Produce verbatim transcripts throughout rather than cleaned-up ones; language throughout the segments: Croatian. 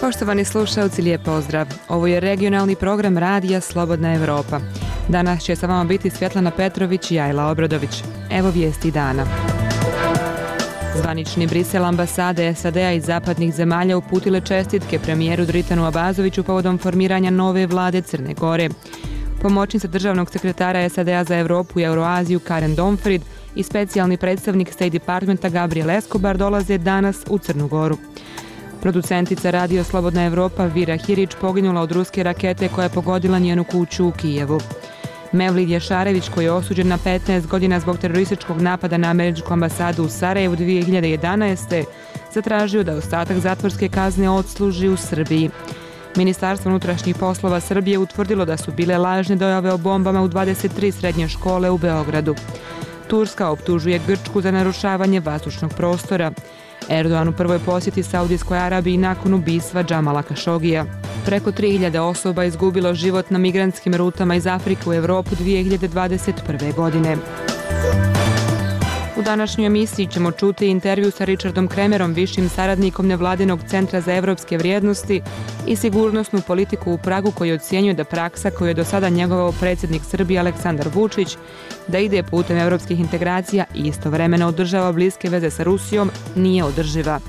Poštovani slušalci, lijep pozdrav. Ovo je regionalni program Radija Slobodna Evropa. Danas će sa vama biti Svjetlana Petrović i Ajla Obradović. Evo vijesti dana. Zvanični Brisel ambasade S A D-a i zapadnih zemalja uputile čestitke premijeru Dritanu Abazoviću povodom formiranja nove vlade Crne Gore. Pomoćnica državnog sekretara S A D-a za Evropu i Euroaziju Karen Donfrid i specijalni predstavnik State Departmenta Gabriel Escobar dolaze danas u Crnu Goru. Producentica Radio Slobodna Evropa Vira Hirić poginula od ruske rakete koja je pogodila njenu kuću u Kijevu. Mevlid Jašarević, koji je osuđen na petnaest godina zbog terorističkog napada na američku ambasadu u Sarajevu dvije hiljade jedanaeste. zatražio da ostatak zatvorske kazne odsluži u Srbiji. Ministarstvo unutrašnjih poslova Srbije utvrdilo da su bile lažne dojave o bombama u dvadeset tri srednje škole u Beogradu. Turska optužuje Grčku za narušavanje vazdušnog prostora. Erdogan u prvoj posjeti Saudijskoj Arabiji nakon ubistva Džamala Kašogija. Preko tri hiljade osoba izgubilo život na migrantskim rutama iz Afrike u Evropu dvije hiljade dvadeset prve. godine. U današnjoj emisiji ćemo čuti intervju sa Richardom Kremerom, višim saradnikom nevladinog centra za evropske vrijednosti i sigurnosnu politiku u Pragu, koji ocjenjuje da praksa koju je do sada njegovao predsjednik Srbije Aleksandar Vučić, da ide putem evropskih integracija i istovremeno održava bliske veze sa Rusijom, nije održiva.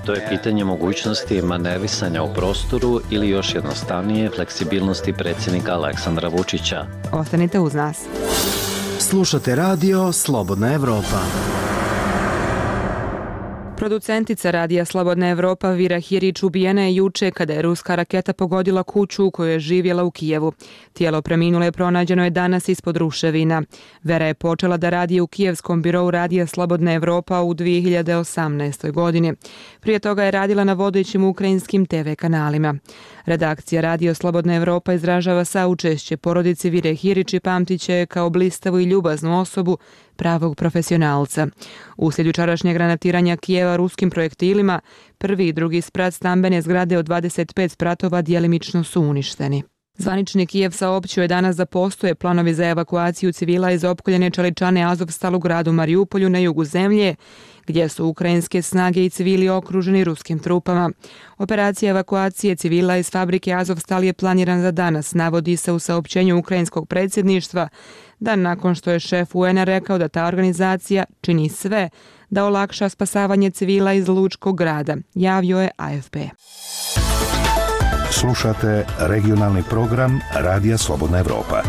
To je pitanje mogućnosti manevrisanja u prostoru ili još jednostavnije fleksibilnosti predsjednika Aleksandra Vučića. Ostanite uz nas. Slušate radio Slobodna Evropa. Producentica Radija Slobodna Evropa Vira Hirić ubijena je juče kada je ruska raketa pogodila kuću u kojoj je živjela u Kijevu. Tijelo preminule pronađeno je danas ispod ruševina. Vera je počela da radi u kijevskom birou Radija Slobodna Evropa u dvije hiljade osamnaestoj. godini. Prije toga je radila na vodećim ukrajinskim te ve kanalima. Redakcija Radio Slobodna Evropa izražava saučešće porodici Vire Hirić i pamtiće je kao blistavu i ljubaznu osobu, pravog profesionalca. Uslijed jučerašnjeg granatiranja Kijeva ruskim projektilima, prvi i drugi sprat stambene zgrade od dvadeset pet spratova djelimično su uništeni. Zvanični Kijev saopćio je danas da postoje planovi za evakuaciju civila iz opkoljene čeličane Azovstal u gradu Mariupolju na jugu zemlje, gdje su ukrajinske snage i civili okruženi ruskim trupama. Operacija evakuacije civila iz fabrike Azovstal je planiran za danas, navodi se u saopćenju ukrajinskog predsjedništva, dan nakon što je šef U N A rekao da ta organizacija čini sve da olakša spasavanje civila iz Lučkog grada, javio je A F P. Slušate regionalni program Radija Slobodna Evropa.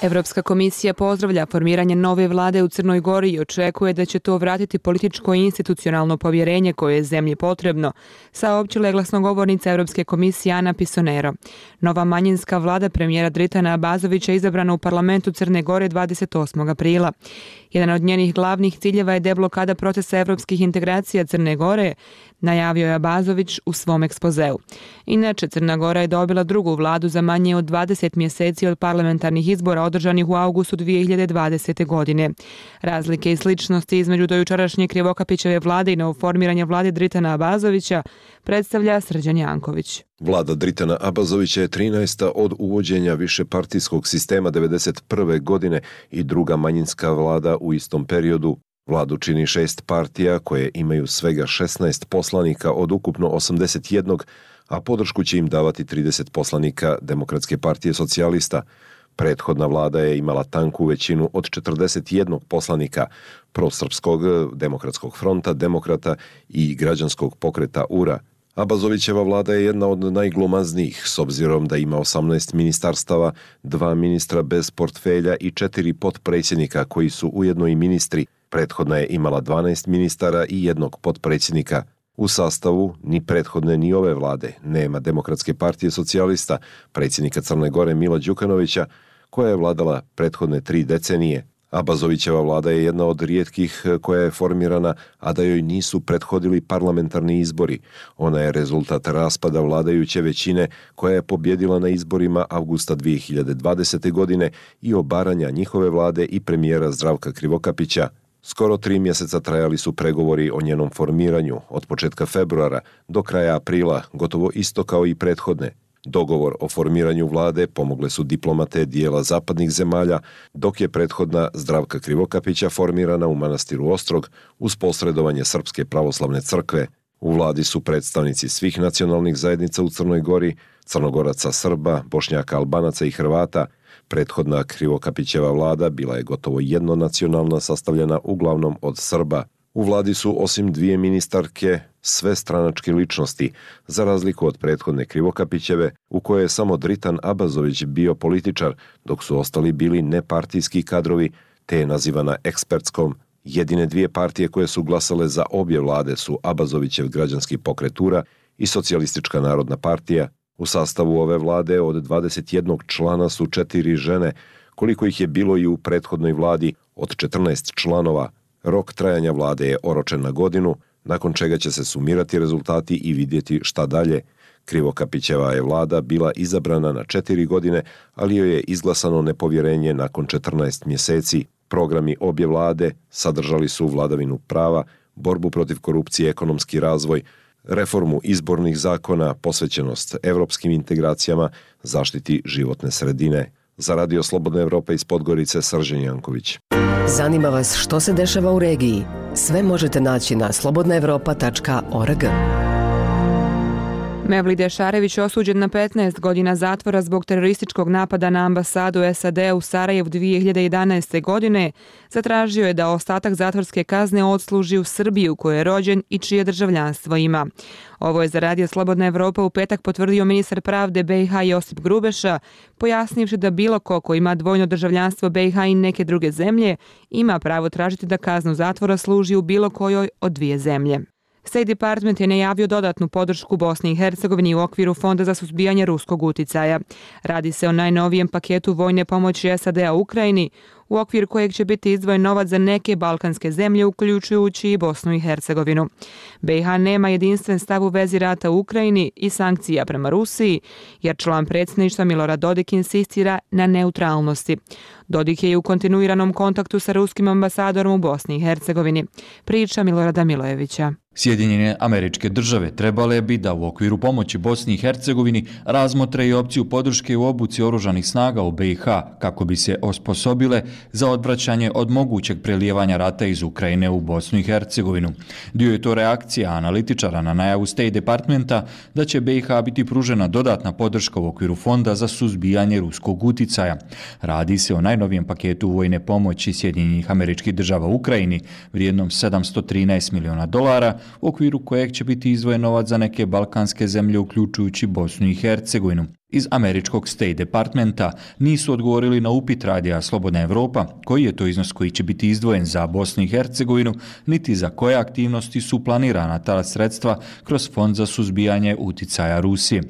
Evropska komisija pozdravlja formiranje nove vlade u Crnoj Gori i očekuje da će to vratiti političko i institucionalno povjerenje koje je zemlji potrebno, saopćila je glasnogovornica Evropske komisije Ana Pisonero. Nova manjinska vlada premijera Dritana Abazovića izabrana u parlamentu Crne Gore dvadeset osmog aprila. Jedan od njenih glavnih ciljeva je deblokada procesa evropskih integracija Crne Gore, najavio je Abazović u svom ekspozeu. Inače, Crna Gora je dobila drugu vladu za manje od dvadeset mjeseci od parlamentarnih izbora održanih u avgustu dvije hiljade dvadesete. godine. Razlike i sličnosti između dojučerašnje Krivokapićeve vlade i novoformiranje vlade Dritana Abazovića predstavlja Srđan Janković. Vlada Dritana Abazovića je trinaesta od uvođenja višepartijskog sistema devedeset prve. godine i druga manjinska vlada u istom periodu. Vladu čini šest partija koje imaju svega šesnaest poslanika od ukupno osamdeset jednog, a podršku će im davati trideset poslanika Demokratske partije socijalista. Prethodna vlada je imala tanku većinu od četrdeset jednog poslanika Prosrpskog demokratskog fronta, demokrata i građanskog pokreta U R A. Abazovićeva vlada je jedna od najglomaznijih s obzirom da ima osamnaest ministarstava, dva ministra bez portfelja i četiri potpredsjednika koji su ujedno i ministri. Prethodna je imala dvanaest ministara i jednog potpredsjednika. U sastavu ni prethodne ni ove vlade nema Demokratske partije socijalista, predsjednika Crne Gore Mila Đukanovića, koja je vladala prethodne tri decenije. Abazovićeva vlada je jedna od rijetkih koja je formirana, a da joj nisu prethodili parlamentarni izbori. Ona je rezultat raspada vladajuće većine koja je pobjedila na izborima avgusta dvije hiljade dvadesete. godine i obaranja njihove vlade i premijera Zdravka Krivokapića. Skoro tri mjeseca trajali su pregovori o njenom formiranju, od početka februara do kraja aprila, gotovo isto kao i prethodne. Dogovor o formiranju vlade pomogle su diplomate dijela zapadnih zemalja, dok je prethodna Zdravka Krivokapića formirana u manastiru Ostrog uz posredovanje Srpske pravoslavne crkve. U vladi su predstavnici svih nacionalnih zajednica u Crnoj Gori, Crnogoraca, Srba, Bošnjaka, Albanaca i Hrvata. Prethodna Krivokapićeva vlada bila je gotovo jednonacionalna, sastavljena uglavnom od Srba. U vladi su osim dvije ministarke sve stranačke ličnosti, za razliku od prethodne Krivokapićeve, u kojoj je samo Dritan Abazović bio političar, dok su ostali bili nepartijski kadrovi, te je nazivana ekspertskom. Jedine dvije partije koje su glasale za obje vlade su Abazovićev građanski pokret URA i Socijalistička narodna partija. U sastavu ove vlade od dvadeset jednog člana su četiri žene, koliko ih je bilo i u prethodnoj vladi od četrnaest članova. Rok trajanja vlade je oročen na godinu, nakon čega će se sumirati rezultati i vidjeti šta dalje. Krivokapićeva je vlada bila izabrana na četiri godine, ali joj je izglasano nepovjerenje nakon četrnaest mjeseci. Programi obje vlade sadržali su vladavinu prava, borbu protiv korupcije, ekonomski razvoj, reformu izbornih zakona, posvećenost evropskim integracijama, zaštiti životne sredine. Za Radio Slobodna Evropa iz Podgorice, Srđan Janković. Zanima vas što se dešava u regiji? Sve možete naći na slobodna evropa tačka org. Mevlid Ešarević osuđen na petnaest godina zatvora zbog terorističkog napada na ambasadu S A D u Sarajevu dvije hiljade jedanaeste. godine, zatražio je da ostatak zatvorske kazne odsluži u Srbiji u kojoj je rođen i čije državljanstvo ima. Ovo je za Radio Slobodna Evropa u petak potvrdio ministar pravde B i H Josip Grubeša, pojasnivši da bilo ko ko ima dvojno državljanstvo B i H i neke druge zemlje ima pravo tražiti da kaznu zatvora služi u bilo kojoj od dvije zemlje. State Department je najavio dodatnu podršku Bosni i Hercegovini u okviru Fonda za suzbijanje ruskog uticaja. Radi se o najnovijem paketu vojne pomoći S A D-a Ukrajini, u okviru kojeg će biti izdvojen novac za neke balkanske zemlje, uključujući i Bosnu i Hercegovinu. B i H nema jedinstven stav u vezi rata u Ukrajini i sankcija prema Rusiji, jer član predsjedništva Milorad Dodik insistira na neutralnosti. Dodik je i u kontinuiranom kontaktu sa ruskim ambasadorom u Bosni i Hercegovini. Priča Milorada Milojevića. Sjedinjene Američke Države trebale bi da u okviru pomoći Bosni i Hercegovini razmotre i opciju podrške u obuci oružanih snaga u B i H kako bi se osposobile za odvraćanje od mogućeg prelijevanja rata iz Ukrajine u Bosnu i Hercegovinu. Dio je to reakcija analitičara na najavu State Departmenta da će B i H biti pružena dodatna podrška u okviru Fonda za suzbijanje ruskog uticaja. Radi se o najnovijem paketu vojne pomoći Sjedinjenih Američkih Država u Ukrajini vrijednom sedamsto trinaest miliona dolara, u okviru kojeg će biti izdvojen novac za neke balkanske zemlje uključujući Bosnu i Hercegovinu. Iz američkog State Departmenta nisu odgovorili na upit Radija Slobodna Evropa koji je to iznos koji će biti izdvojen za Bosnu i Hercegovinu, niti za koje aktivnosti su planirana ta sredstva kroz Fond za suzbijanje uticaja Rusije.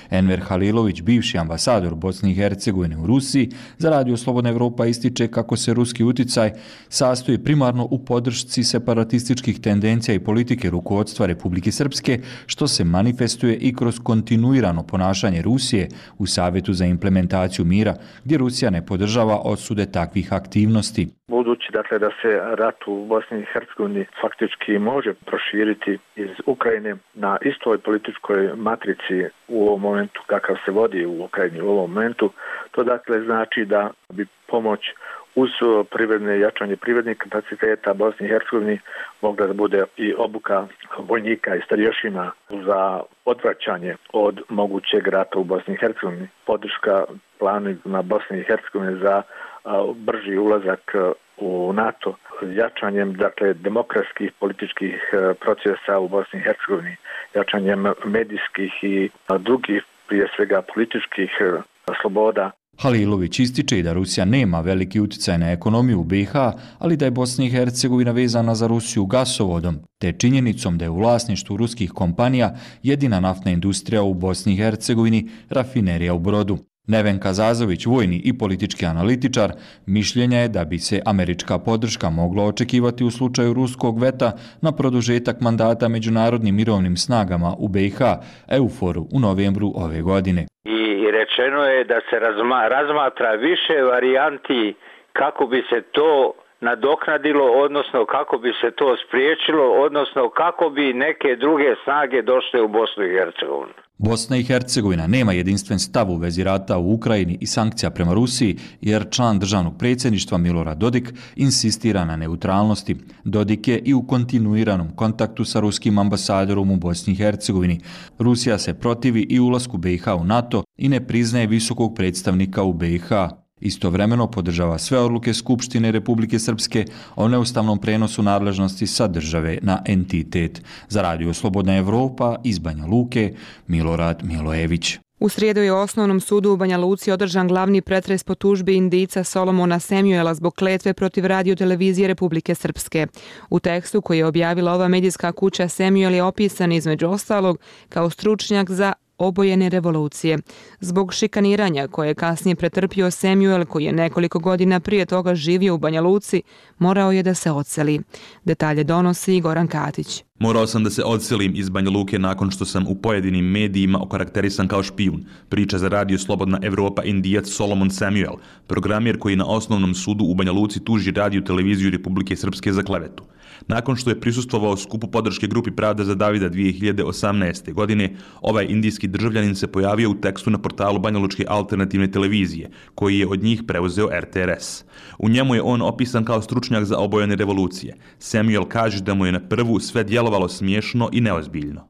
Enver Halilović, bivši ambasador Bosne i Hercegovine u Rusiji, za Radio Slobodna Evropa ističe kako se ruski uticaj sastoji primarno u podršci separatističkih tendencija i politike rukovodstva Republike Srpske, što se manifestuje i kroz kontinuirano ponašanje Rusije u Savjetu za implementaciju mira, gdje Rusija ne podržava osude takvih aktivnosti. Budući dakle da se rat u Bosni i Hercegovini faktički može proširiti iz Ukrajine na istoj političkoj matrici u ovom momentu kakav se vodi u Ukrajini u ovom momentu, to dakle znači da bi pomoć uz privredne jačanje privrednih kapaciteta Bosni i Hercegovini mogla da bude i obuka vojnika i starješina za odvraćanje od mogućeg rata u Bosni i Hercegovini. Podrška planima Bosne i Hercegovine za brži ulazak u NATO, jačanjem dakle demokratskih političkih procesa u Bosni i Hercegovini, jačanjem medijskih i drugih prije svega političkih sloboda. Halilović ističe i da Rusija nema veliki utjecaj na ekonomiju u B i H, ali da je Bosna i Hercegovina vezana za Rusiju gasovodom, te činjenicom da je u vlasništvu ruskih kompanija jedina naftna industrija u Bosni i Hercegovini, rafinerija u Brodu. Nevenka Zazović, vojni i politički analitičar, mišljenja je da bi se američka podrška mogla očekivati u slučaju ruskog veta na produžetak mandata međunarodnim mirovnim snagama u B i H, EUFOR-u u novembru ove godine. I rečeno je da se razma, razmatra više varijanti kako bi se to nadoknadilo, odnosno kako bi se to spriječilo, odnosno kako bi neke druge snage došle u Bosnu i Hercegovinu. Bosna i Hercegovina nema jedinstven stav u vezi rata u Ukrajini i sankcija prema Rusiji, jer član državnog predsjedništva Milorad Dodik insistira na neutralnosti. Dodik je i u kontinuiranom kontaktu sa ruskim ambasadorom u Bosni i Hercegovini. Rusija se protivi i ulasku B i H u NATO i ne priznaje visokog predstavnika u B i H. Istovremeno podržava sve odluke Skupštine Republike Srpske o neustavnom prenosu nadležnosti sa države na entitet. Za Radio Slobodna Evropa iz Banja Luke, Milorad Milojević. U srijedu je u Osnovnom sudu u Banja Luci održan glavni pretres po tužbi Indijca Solomona Samuela zbog kletve protiv radiotelevizije Republike Srpske. U tekstu koji je objavila ova medijska kuća, Samuel je opisan između ostalog kao stručnjak za obojene revolucije. Zbog šikaniranja koje je kasnije pretrpio, Samuel, koji je nekoliko godina prije toga živio u Banja Luci, morao je da se odseli. Detalje donosi Goran Katić. Morao sam da se odselim iz Banja Luke nakon što sam u pojedinim medijima okarakterisan kao špijun, priča za Radio Slobodna Evropa Indijac Solomon Samuel, programer koji na Osnovnom sudu u Banja Luci tuži Radio televiziju Republike Srpske za klevetu. Nakon što je prisustvovao skupu podrške grupi Pravda za Davida dvije hiljade osamnaeste. godine, ovaj indijski državljanin se pojavio u tekstu na portalu Banjalučke alternativne televizije, koji je od njih preuzeo R T R S. U njemu je on opisan kao stručnjak za obojene revolucije. Samuel kaže da mu je na prvu sve djelovalo smiješno i neozbiljno.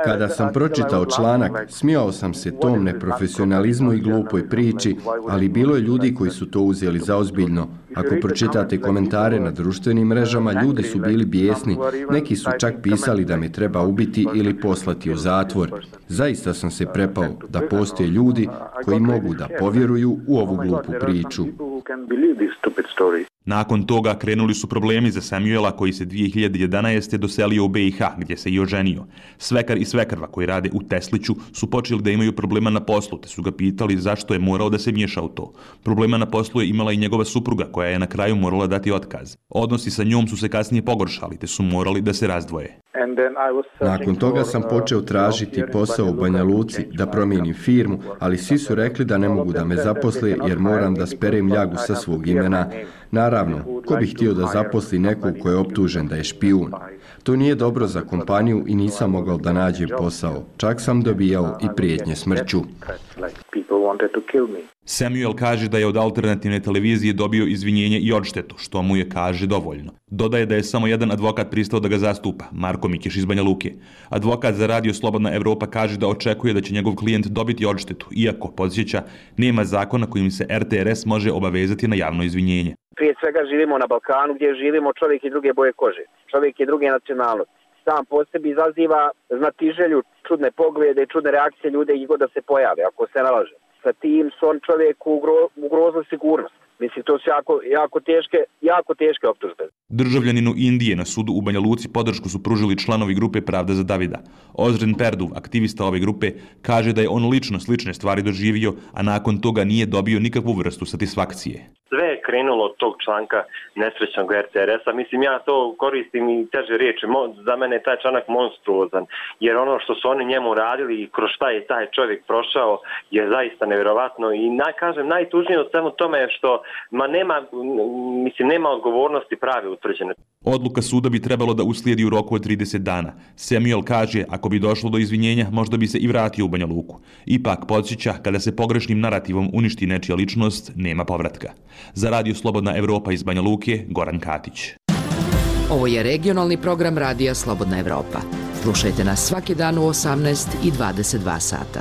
Kada sam pročitao članak, smijao sam se tom neprofesionalizmu i glupoj priči, ali bilo je ljudi koji su to uzeli za ozbiljno. Ako pročitate komentare na društvenim mrežama, ljudi su bili bijesni. Neki su čak pisali da me treba ubiti ili poslati u zatvor. Zaista sam se prepao da postoje ljudi koji mogu da povjeruju u ovu glupu priču. Nakon toga krenuli su problemi za Samuela, koji se dvije hiljade jedanaeste. doselio u B i H, gdje se i oženio. Svekar i svekrva koji rade u Tesliću su počeli da imaju problema na poslu, te su ga pitali zašto je morao da se miješa u to. Problema na poslu je imala i njegova supruga, koja je na kraju morala dati otkaz. Odnosi sa njom su se kasnije pogoršali, te su morali da se razdvoje. Nakon toga sam počeo tražiti posao u Banja Luci, da promijenim firmu, ali svi su rekli da ne mogu da me zaposle jer moram da sperem ljagu sa svog imena. Naravno, ko bi htio da zaposli nekog ko je optužen da je špijun? To nije dobro za kompaniju i nisam mogao da nađem posao. Čak sam dobijao i prijetnje smrću. Samuel kaže da je od alternativne televizije dobio izvinjenje i odštetu, što mu je, kaže, dovoljno. Dodaje da je samo jedan advokat pristao da ga zastupa, Marko Mikiš iz Banja Luke. Advokat za Radio Slobodna Evropa kaže da očekuje da će njegov klijent dobiti odštetu, iako, podsjeća, nema zakona kojim se R T R S može obavezati na javno izvinjenje. Prije svega živimo na Balkanu gdje živimo čovjek i druge boje kože, čovjek i druge nacionalnosti. Sam po sebi izaziva znatiželju, čudne poglede i čudne reakcije ljude i god da se pojave, ako se nalaže. Sa tim su on čovjeku ugrozili sigurnost. Mislim, to su jako, jako, teške, jako teške optužbe. Državljaninu Indije na sudu u Banja Luci podršku su pružili članovi grupe Pravda za Davida. Ozren Perduv, aktivista ove grupe, kaže da je on lično slične stvari doživio, a nakon toga nije dobio nikakvu vrstu satisfakcije. Sve je krenulo od tog članka nesrećnog R T R S-a. Mislim, ja to koristim i teže riječi. Za mene je taj članak monstruozan, jer ono što su oni njemu radili i kroz šta je taj čovjek prošao je zaista nevjerovatno. I naj, kažem, najtužnije od svemu tome je što ma nema, mislim, nema odgovornosti prave utvrđene. Odluka suda bi trebalo da uslijedi u roku od trideset dana. Samuel kaže, ako bi došlo do izvinjenja, možda bi se i vratio u Banja Luku. Ipak, podsjeća, kada se pogrešnim narativom uništi nečija ličnost, nema povratka. Za Radio Slobodna Evropa iz Banja Luke, Goran Katić. Ovo je regionalni program Radija Slobodna Evropa. Slušajte nas svaki dan u osamnaest i dvadeset dva sata.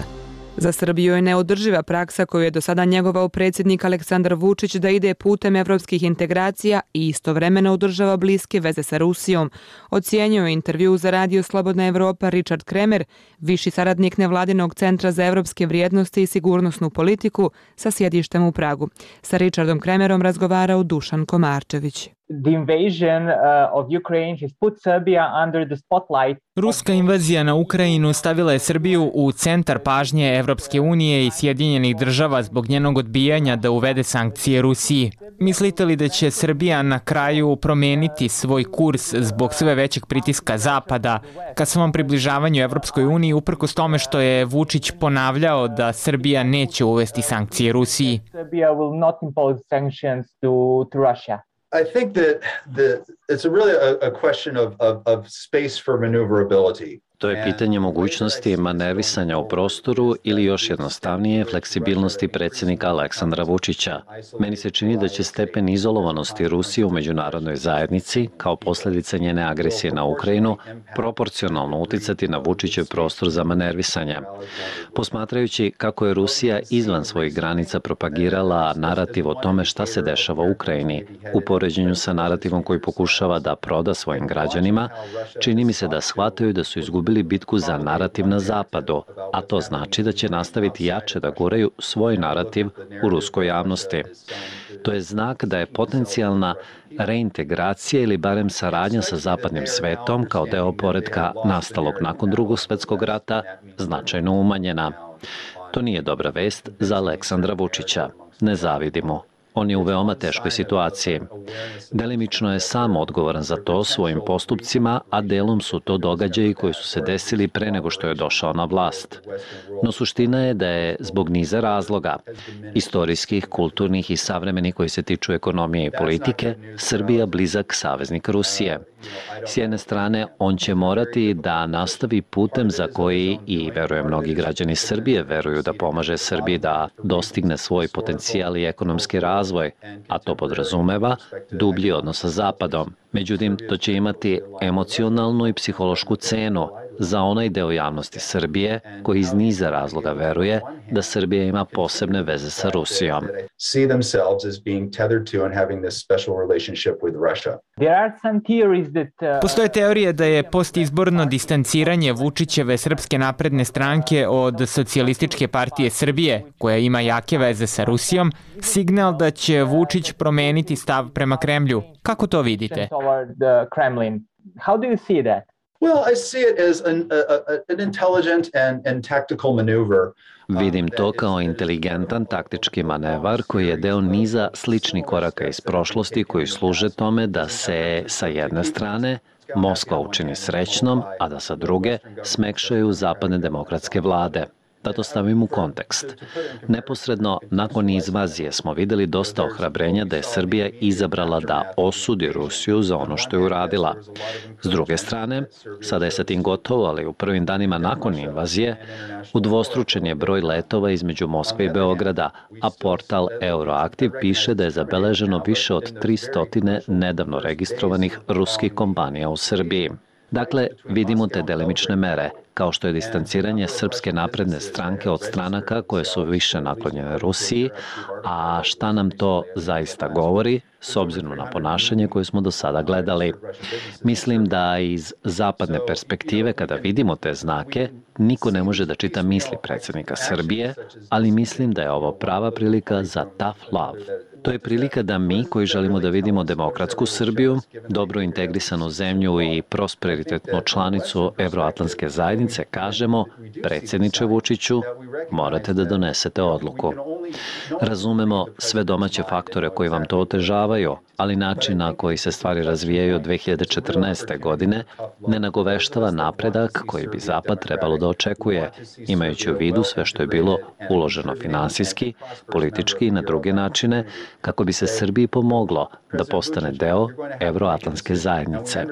Za Srbiju je neodrživa praksa koju je do sada njegovao predsjednik Aleksandar Vučić da ide putem evropskih integracija i istovremeno održava bliske veze sa Rusijom. Ocijenio je intervju za Radio Slobodna Evropa Richard Kremer, viši saradnik nevladinog centra za evropske vrijednosti i sigurnosnu politiku sa sjedištem u Pragu. Sa Richardom Kremerom razgovarao Dušan Komarčević. The invasion uh, of Ukraine has put Serbia under the spotlight. Ruska invazija na Ukrajinu stavila je Srbiju u centar pažnje Evropske unije i Sjedinjenih država zbog njenog odbijanja da uvede sankcije Rusiji. Mislite li da će Srbija na kraju promijeniti svoj kurs zbog sve većeg pritiska Zapada ka svom približavanju Evropskoj uniji, uprkos tome što je Vučić ponavljao da Srbija neće uvesti sankcije Rusiji? Serbia will not impose sanctions to, to Russia. I think that the, it's a really a, a question of, of, of space for maneuverability. To je pitanje mogućnosti manevisanja u prostoru ili još jednostavnije fleksibilnosti predsjednika Aleksandra Vučića. Meni se čini da će stepen izolovanosti Rusije u međunarodnoj zajednici, kao posljedica njene agresije na Ukrajinu, proporcionalno uticati na Vučićev prostor za manevisanje. Posmatrajući kako je Rusija izvan svojih granica propagirala narativ o tome šta se dešava u Ukrajini, u poređenju sa narativom koji pokušava da proda svojim građanima, čini mi se da shvataju da su izgubili bitku za narativ na zapadu, a to znači da će nastaviti jače da guraju svoj narativ u ruskoj javnosti. To je znak da je potencijalna reintegracija ili barem saradnja sa zapadnim svetom kao deo poretka nastalog nakon Drugog svjetskog rata značajno umanjena. To nije dobra vest za Aleksandra Vučića. Ne zavidimo. On je u veoma teškoj situaciji. Delimično je sam odgovoran za to svojim postupcima, a delom su to događaji koji su se desili pre nego što je došao na vlast. No suština je da je zbog niza razloga, istorijskih, kulturnih i savremenih koji se tiču ekonomije i politike, Srbija blizak saveznik Rusije. S jedne strane, on će morati da nastavi putem za koji, i verujem mnogi građani Srbije veruju da pomaže Srbiji da dostigne svoj potencijal i ekonomski razvoj, a to podrazumeva dublji odnos sa Zapadom. Međutim, to će imati emocionalnu i psihološku cenu za onaj deo javnosti Srbije koji iz niza razloga veruje da Srbija ima posebne veze sa Rusijom. Postoje teorije da je postizborno distanciranje Vučićeve Srpske napredne stranke od Socijalističke partije Srbije, koja ima jake veze sa Rusijom, signal da će Vučić promeniti stav prema Kremlju. Kako to vidite? How do you see that? Well, I see it as an, a, an intelligent and, and tactical maneuver. Vidim to kao inteligentan taktički manevar koji je deo niza sličnih koraka iz prošlosti koji služe tome da se sa jedne strane Moskva učini srećnom, a da sa druge smekšaju zapadne demokratske vlade. Da to stavim u kontekst. Neposredno nakon invazije smo videli dosta ohrabrenja da je Srbija izabrala da osudi Rusiju za ono što je uradila. S druge strane, sada je sa tim gotovo, ali u prvim danima nakon invazije udvostručen je broj letova između Moskve i Beograda, a portal Euroaktiv piše da je zabeleženo više od tristo nedavno registrovanih ruskih kompanija u Srbiji. Dakle, vidimo te delimične mere, kao što je distanciranje Srpske napredne stranke od stranaka koje su više naklonjene Rusiji, a šta nam to zaista govori, s obzirom na ponašanje koje smo do sada gledali. Mislim da iz zapadne perspektive, kada vidimo te znake, niko ne može da čita misli predsjednika Srbije, ali mislim da je ovo prava prilika za tough love. To je prilika da mi, koji želimo da vidimo demokratsku Srbiju, dobro integrisanu zemlju i prosperitetnu članicu Evroatlantske zajednice, kažemo, predsjedniče Vučiću, morate da donesete odluku. Razumemo sve domaće faktore koji vam to otežavaju, ali način na koji se stvari razvijaju od dve hiljade četrnaeste. godine ne nagoveštava napredak koji bi Zapad trebalo da očekuje, imajući u vidu sve što je bilo uloženo finansijski, politički i na druge načine, kako bi se Srbiji pomoglo da postane deo Evroatlantske zajednice.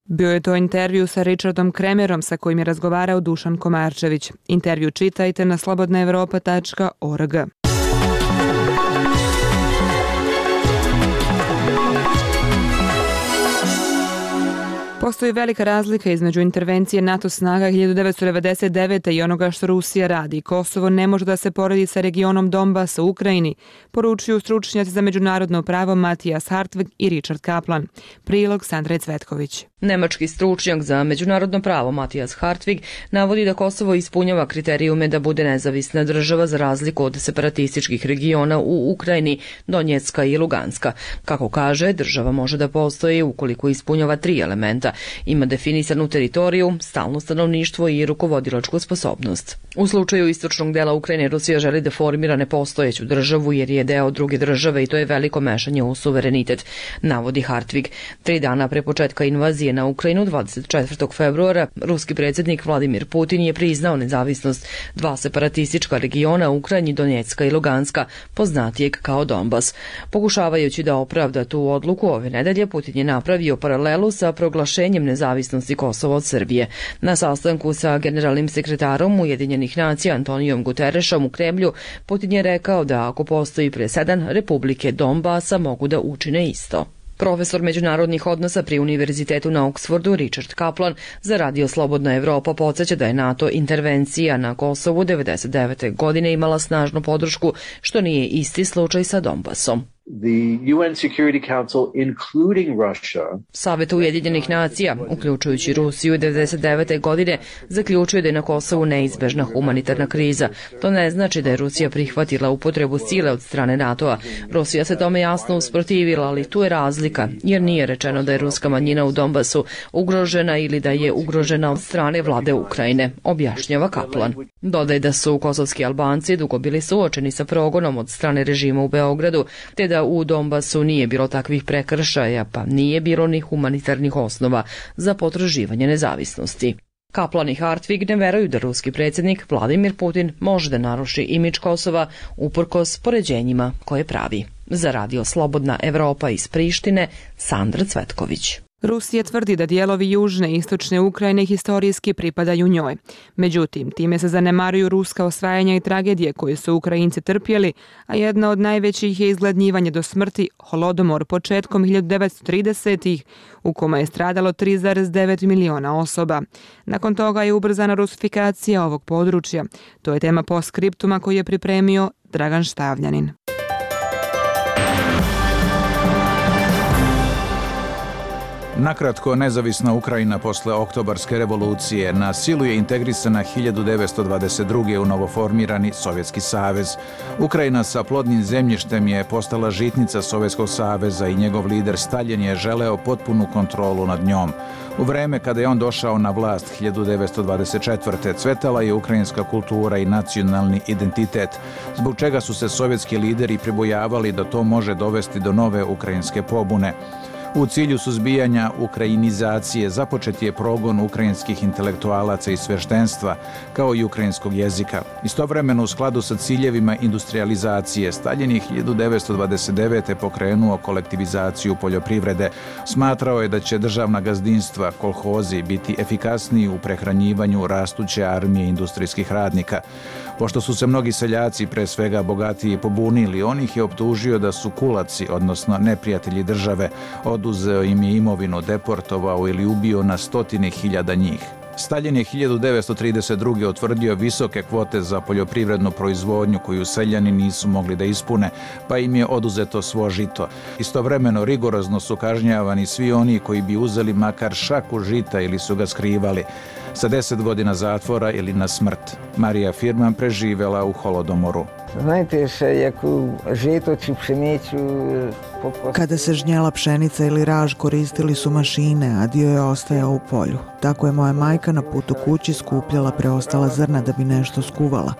Bio je to intervju sa Richardom Kremerom sa kojim je razgovarao Dušan Komarčević. Intervju čitajte na slobodna evropa tačka org. Postoji velika razlika između intervencije NATO snaga hiljadu devetsto devedeset devete. i onoga što Rusija radi. Kosovo ne može da se poredi sa regionom Donbasa u Ukrajini, poručuju stručnjaci za međunarodno pravo Matijas Hartvig i Richard Kaplan. Prilog Sandre Cvetković. Nemački stručnjak za međunarodno pravo Matijas Hartvig navodi da Kosovo ispunjava kriterijume da bude nezavisna država za razliku od separatističkih regiona u Ukrajini, Donjecka i Luganska. Kako kaže, država može da postoji ukoliko ispunjava tri elementa: ima definisanu teritoriju, stalno stanovništvo i rukovodilačku sposobnost. U slučaju istočnog dela Ukrajine Rusija želi da formira nepostojeću državu jer je deo druge države i to je veliko mešanje u suverenitet, navodi Hartvig. Tri dana pre početka invazije na Ukrajinu, dvadeset četvrtog februara, ruski predsjednik Vladimir Putin je priznao nezavisnost dva separatistička regiona Ukrajini, Donjecka i Luganska, poznatijeg kao Donbas. Pokušavajući da opravda tu odluku ove nedelje, Putin je napravio paralelu sa proglašenjem nezavisnosti Kosova od Srbije. Na sastanku sa generalnim sekretarom Ujedinjenih nacija Antonijom Guterešom u Kremlju, Putin je rekao da ako postoji presedan, republike Donbasa mogu da učine isto. Profesor međunarodnih odnosa pri Univerzitetu na Oksfordu Richard Kaplan za Radio Slobodna Evropa podsjeća da je NATO intervencija na Kosovu devedeset devete godine imala snažnu podršku, što nije isti slučaj sa Donbasom. The U N Security Council, including Russia, Savet Ujedinjenih nacija, uključujući Rusiju devedeset devete godine, zaključuje da je na Kosovu neizbežna humanitarna kriza. To ne znači da je Rusija prihvatila upotrebu sile od strane NATO-a. Rusija se tome jasno usprotivila, ali tu je razlika, jer nije rečeno da je ruska manjina u Donbasu ugrožena ili da je ugrožena od strane vlade Ukrajine, objašnjava Kaplan. Dodaj da su kosovski Albanci dugo bili suočeni sa progonom od strane režima u Beogradu, te da u Donbasu nije bilo takvih prekršaja, pa nije bilo ni humanitarnih osnova za potraživanje nezavisnosti. Kaplan i Hartvig ne veruju da ruski predsjednik Vladimir Putin može da naruši imidž Kosova uprkos poređenjima koje pravi. Za Radio Slobodna Evropa iz Prištine, Sandra Cvetković. Rusija tvrdi da dijelovi južne i istočne Ukrajine historijski pripadaju njoj. Međutim, time se zanemaruju ruska osvajanja i tragedije koje su Ukrajinci trpjeli, a jedna od najvećih je izgladnjivanje do smrti, holodomor početkom hiljadu devetsto tridesetih u kome je stradalo tri zarez devet miliona osoba. Nakon toga je ubrzana rusifikacija ovog područja. To je tema postskriptuma koji je pripremio Dragan Štavljanin. Nakratko, nezavisna Ukrajina posle oktobarske revolucije na silu je integrisana hiljadu devetsto dvadeset druge u novoformirani Sovjetski savez. Ukrajina sa plodnim zemljištem je postala žitnica Sovjetskog saveza i njegov lider Staljin je želeo potpunu kontrolu nad njom. U vreme kada je on došao na vlast hiljadu devetsto dvadeset četvrte cvetala je ukrajinska kultura i nacionalni identitet, zbog čega su se sovjetski lideri pribojavali da to može dovesti do nove ukrajinske pobune. U cilju suzbijanja ukrajinizacije započet je progon ukrajinskih intelektualaca i sveštenstva, kao i ukrajinskog jezika. Istovremeno, u skladu sa ciljevima industrializacije, Staljin je hiljadu devetsto dvadeset devete pokrenuo kolektivizaciju poljoprivrede. Smatrao je da će državna gazdinstva, kolhozi, biti efikasniji u prehranjivanju rastuće armije industrijskih radnika. Pošto su se mnogi seljaci, pre svega bogatiji, pobunili, on ih je optužio da su kulaci, odnosno neprijatelji države, oduzeo im je imovinu, deportovao ili ubio na stotine hiljada njih. Staljin je hiljadu devetsto trideset druge utvrdio visoke kvote za poljoprivrednu proizvodnju koju seljani nisu mogli da ispune, pa im je oduzeto svo žito. Istovremeno rigorozno su kažnjavani svi oni koji bi uzeli makar šaku žita ili su ga skrivali, sa deset godina zatvora ili na smrt. Marija Firman preživela u holodomoru. Znajte še, jaku žito či pšenicu... Kada se žnjela pšenica ili raž, koristili su mašine, a dio je ostajao u polju. Tako je moja majka na putu kući skupljala preostala zrna da bi nešto skuvala.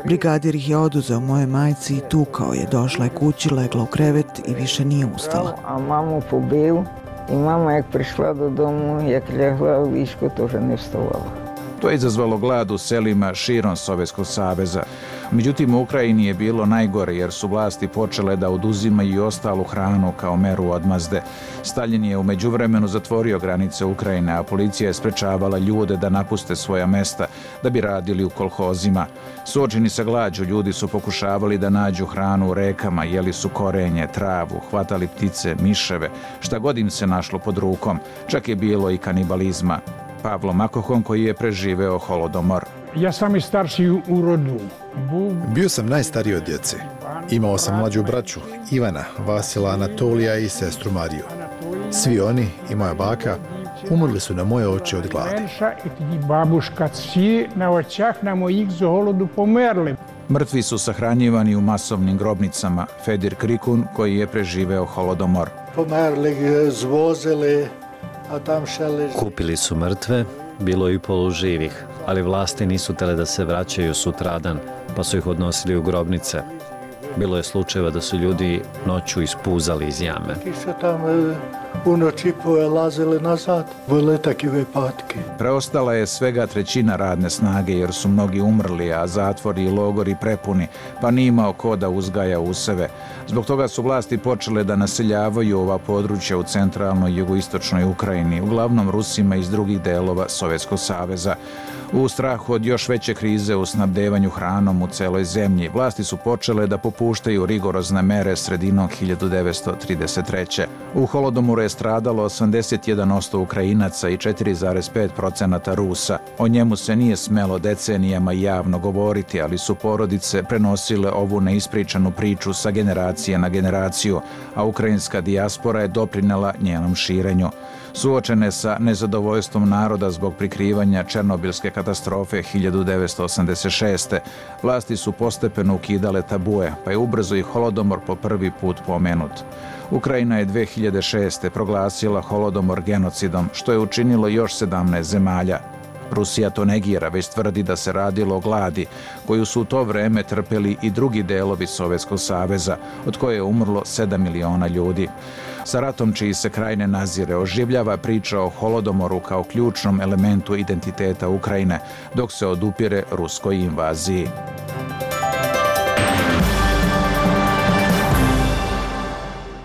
Brigadir ih je oduzeo moje majci i tukao je. Došla je kući, legla u krevet i više nije ustala. A mamu pobiju i mama jak prišla do domu, jak ljegla u višku, to že ne vstavala. To je izazvalo glad u selima širom Sovjetskog saveza. Međutim, u Ukrajini je bilo najgore jer su vlasti počele da oduzimaju i ostalu hranu kao meru odmazde. Staljin je u međuvremenu zatvorio granice Ukrajine, a policija je sprečavala ljude da napuste svoja mesta da bi radili u kolhozima. Suočeni sa glađu, ljudi su pokušavali da nađu hranu u rekama, jeli su korenje, travu, hvatali ptice, miševe, šta god im se našlo pod rukom. Čak je bilo i kanibalizma. Pavlo Makohon, koji je preživeo holodomor. Ja sam i starši u rodu. Bio sam najstariji od djece. Imao sam mlađu braću, Ivana, Vasila, Anatolija i sestru Mariju. Svi oni i moja baka umrli su na moje oči od gladi. Babuška, svi na očah na mojih za holodu pomerli. Mrtvi su sahranjivani u masovnim grobnicama. Fedir Krikun, koji je preživeo holodomor. Pomerli zvozili Kupili su mrtve, bilo i poluživih, ali vlasti nisu tele da se vraćaju sutradan, pa su ih odnosili u grobnice. Bilo je slučajeva da su ljudi noću ispuzali iz jame. Preostala je svega trećina radne snage jer su mnogi umrli, a zatvori i logori prepuni, pa nije imao ko da uzgaja useve. Zbog toga su vlasti počele da naseljavaju ova područja u centralnoj i jugoistočnoj Ukrajini, uglavnom Rusima iz drugih delova Sovjetskog saveza. U strahu od još veće krize u snabdevanju hranom u celoj zemlji, vlasti su počele da popuštaju rigorozne mere sredinom hiljadu devetsto trideset treće. U Holodomoru je stradalo osamdeset jedan posto Ukrajinaca i četiri zarez pet posto Rusa. O njemu se nije smelo decenijama javno govoriti, ali su porodice prenosile ovu neispričanu priču sa generacije na generaciju, a ukrajinska dijaspora je doprinela njenom širenju. Suočene sa nezadovoljstvom naroda zbog prikrivanja Černobilske katastrofe hiljadu devetsto osamdeset šeste. vlasti su postepeno ukidale tabue, pa je ubrzo i Holodomor po prvi put pomenut. Ukrajina je dve hiljade šeste. proglasila Holodomor genocidom, što je učinilo još sedamnaest zemalja. Rusija to negira, već tvrdi da se radilo o gladi, koju su u to vreme trpeli i drugi delovi Sovjetskog saveza, od koje je umrlo sedam miliona ljudi. Sa ratom čiji se kraj ne nazire oživljava priča o Holodomoru kao ključnom elementu identiteta Ukrajine, dok se odupire ruskoj invaziji.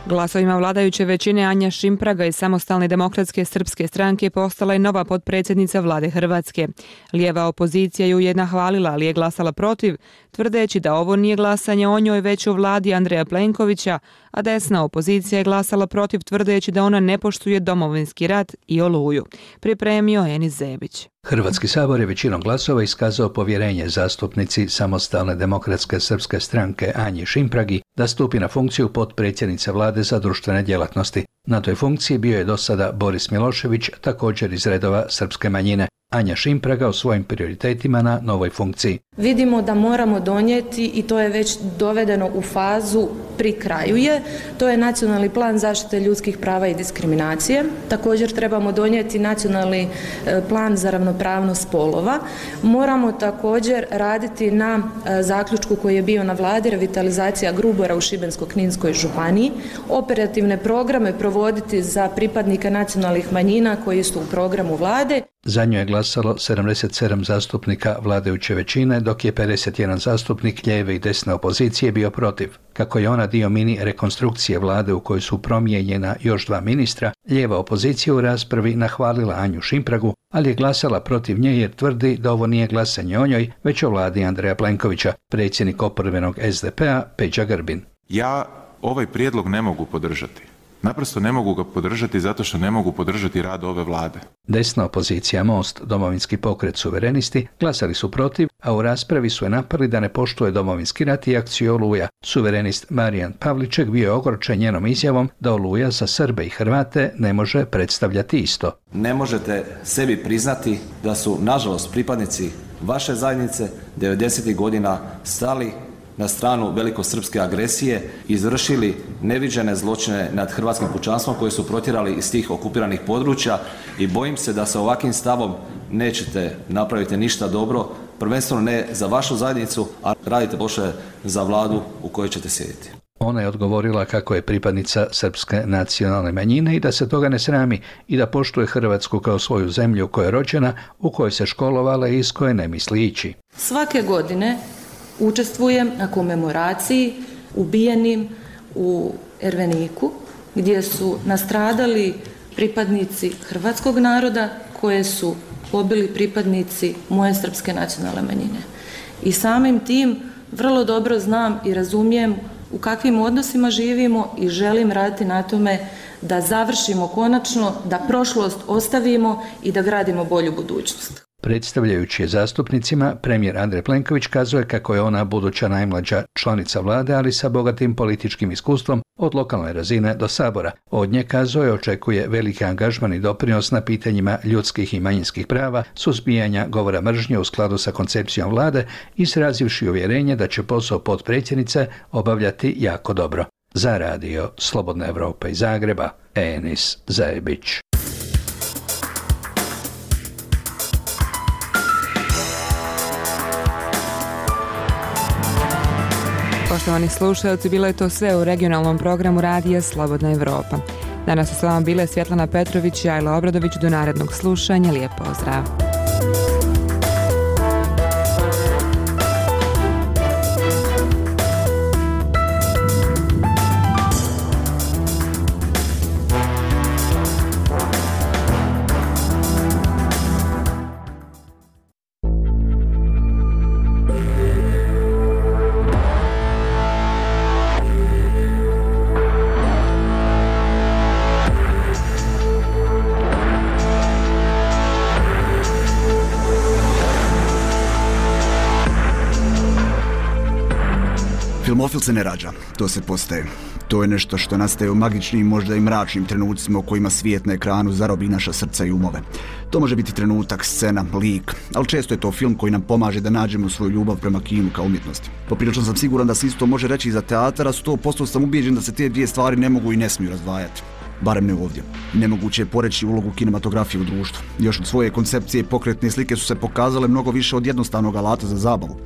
Glasovima vladajuće većine Anja Šimpraga iz Samostalne demokratske srpske stranke postala je nova potpredsjednica vlade Hrvatske. Lijeva opozicija ju je nahvalila, ali je glasala protiv, tvrdeći da ovo nije glasanje o njoj već o vladi Andreja Plenkovića, a desna opozicija je glasala protiv, tvrdeći da ona ne poštuje domovinski rat i Oluju. Pripremio Enis Zebić. Hrvatski sabor je većinom glasova iskazao povjerenje zastupnici Samostalne demokratske srpske stranke Anji Šimpragi da stupi na funkciju potpredsjednice vlade za društvene djelatnosti. Na toj funkciji bio je do sada Boris Milošević, također iz redova srpske manjine. Anja Šimpraga o svojim prioritetima na novoj funkciji. Vidimo da moramo donijeti, i to je već dovedeno u fazu pri kraju je, to je nacionalni plan zaštite ljudskih prava i diskriminacije. Također trebamo donijeti nacionalni plan za ravnopravnost spolova. Moramo također raditi na zaključku koji je bio na vladi, revitalizacija Grubora u Šibensko-kninskoj županiji, operativne programe provoditi za pripadnike nacionalnih manjina koji su u programu vlade. Za nju je glasalo sedamdeset sedam zastupnika vladajuće većine, dok je pedeset jedan zastupnik lijeve i desne opozicije bio protiv. Kako je ona dio mini rekonstrukcije vlade u kojoj su promijenjena još dva ministra, lijeva opozicija u raspravi nahvalila Anju Šimpragu, ali je glasala protiv nje jer tvrdi da ovo nije glasanje o njoj, već o vladi Andreja Plenkovića. Predsjednik oporbenog es de pe a Peđa Grbin. Ja ovaj prijedlog ne mogu podržati. Naprosto ne mogu ga podržati zato što ne mogu podržati rad ove vlade. Desna opozicija Most, Domovinski pokret, Suverenisti glasali su protiv, a u raspravi su je napali da ne poštuje domovinski rat i akciju Oluja. Suverenist Marijan Pavliček bio je ogorčen njenom izjavom da Oluja za Srbe i Hrvate ne može predstavljati isto. Ne možete sebi priznati da su, nažalost, pripadnici vaše zajednice devedesetih godina stali na stranu velikosrpske agresije, izvršili neviđene zločine nad hrvatskim pučanstvom koje su protjerali iz tih okupiranih područja i bojim se da sa ovakvim stavom nećete napraviti ništa dobro, prvenstveno ne za vašu zajednicu, a radite loše za vladu u kojoj ćete sjediti. Ona je odgovorila kako je pripadnica srpske nacionalne manjine i da se toga ne srami i da poštuje Hrvatsku kao svoju zemlju u kojoj je rođena, u kojoj se školovala i iz koje ne misli ići. Svake godine učestvujem na komemoraciji ubijenim u Erveniku, gdje su nastradali pripadnici hrvatskog naroda koje su pobili pripadnici moje srpske nacionalne manjine. I samim tim vrlo dobro znam i razumijem u kakvim odnosima živimo i želim raditi na tome da završimo konačno, da prošlost ostavimo i da gradimo bolju budućnost. Predstavljajući je zastupnicima, premijer Andrej Plenković kazuje kako je ona buduća najmlađa članica vlade, ali sa bogatim političkim iskustvom od lokalne razine do sabora. Od nje, kazuje, očekuje veliki angažman i doprinos na pitanjima ljudskih i manjinskih prava, suzbijanja govora mržnje u skladu sa koncepcijom vlade, izrazivši uvjerenje da će posao potpredsjednice obavljati jako dobro. Za radio Slobodna Evropa iz Zagreba, Enis Zebić. poštovani slušalci, bilo je to sve u regionalnom programu Radija Slobodna Evropa. Danas su s vama bile Svjetlana Petrović i Ajla Obradović. Do narednog slušanja, lijep pozdrav. Filmofil se ne rađa, to se postaje. To je nešto što nastaje u magičnim, možda i mračnim trenucima u kojima svijet na ekranu zarobi naša srca i umove. To može biti trenutak, scena, lik, ali često je to film koji nam pomaže da nađemo svoju ljubav prema kinu kao umjetnosti. Poprilično sam siguran da se isto može reći i za teatar, a sto posto sam ubijeđen da se te dvije stvari ne mogu i ne smiju razdvajati. Barem ne ovdje. Nemoguće je poreći ulogu kinematografije u društvu. Još od svoje koncepcije pokretne slike su se pokazale mnogo više od jednostavnog alata za zabavu.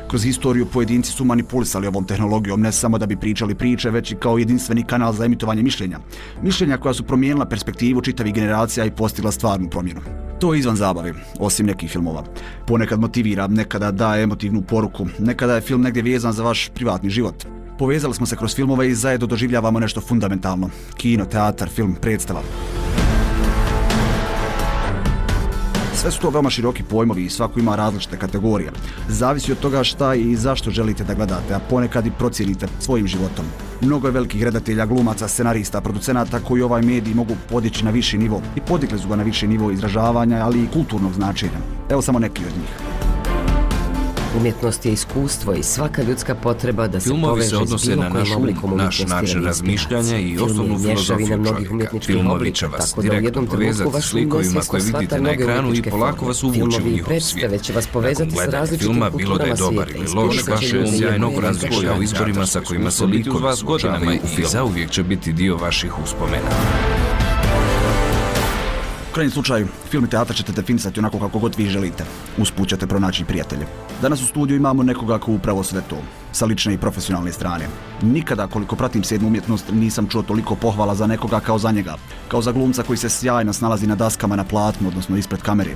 Kroz historiju pojedinci su manipulisali ovom tehnologijom ne samo da bi pričali priče, već i kao jedinstveni kanal za emitovanje mišljenja. Mišljenja koja su promijenila perspektivu čitavih generacija i postigla stvarnu promjenu. To je izvan zabave, osim nekih filmova. Ponekad motivira, nekada daje emotivnu poruku, nekada je film negdje vezan za vaš privatni život. Povezali smo se kroz filmove i zajedno doživljavamo nešto fundamentalno. Kino, teatar, film, predstava. Sve su to veoma široki pojmovi i svako ima različite kategorije. Zavisi od toga šta i zašto želite da gledate, a ponekad i procijenite svojim životom. Mnogo je velikih redatelja, glumaca, scenarista, producenata koji ovaj medij mogu podići na viši nivo i podigli su ga na viši nivo izražavanja, ali i kulturnog značenja. Evo samo neki od njih. Umjetnost je iskustvo i svaka ljudska potreba da se Filmovi poveže se odnose s bilo na kojim naš um, oblikom naš način razmišljanja i osnovnu filozofiju čovjeka. Filmovi će vas direktno povezati s likovima koje vidite na ekranu i polako vas uvući u njihov svijet. Nakon gledanja filma, bilo da je dobar ili loš, vaš um sjajno razmišlja o izborima sa kojima se likovi suočavaju i zauvijek će biti dio vaših uspomena. U krajnjem slučaju, film i teatar ćete definisati onako kako god vi želite. Usput ćete pronaći prijatelje. Danas u studiju imamo nekoga ko upravo sve to, sa lične i profesionalne strane. Nikada, koliko pratim sedmu umjetnost, nisam čuo toliko pohvala za nekoga kao za njega. Kao za glumca koji se sjajno snalazi na daskama na platnu, odnosno ispred kamere.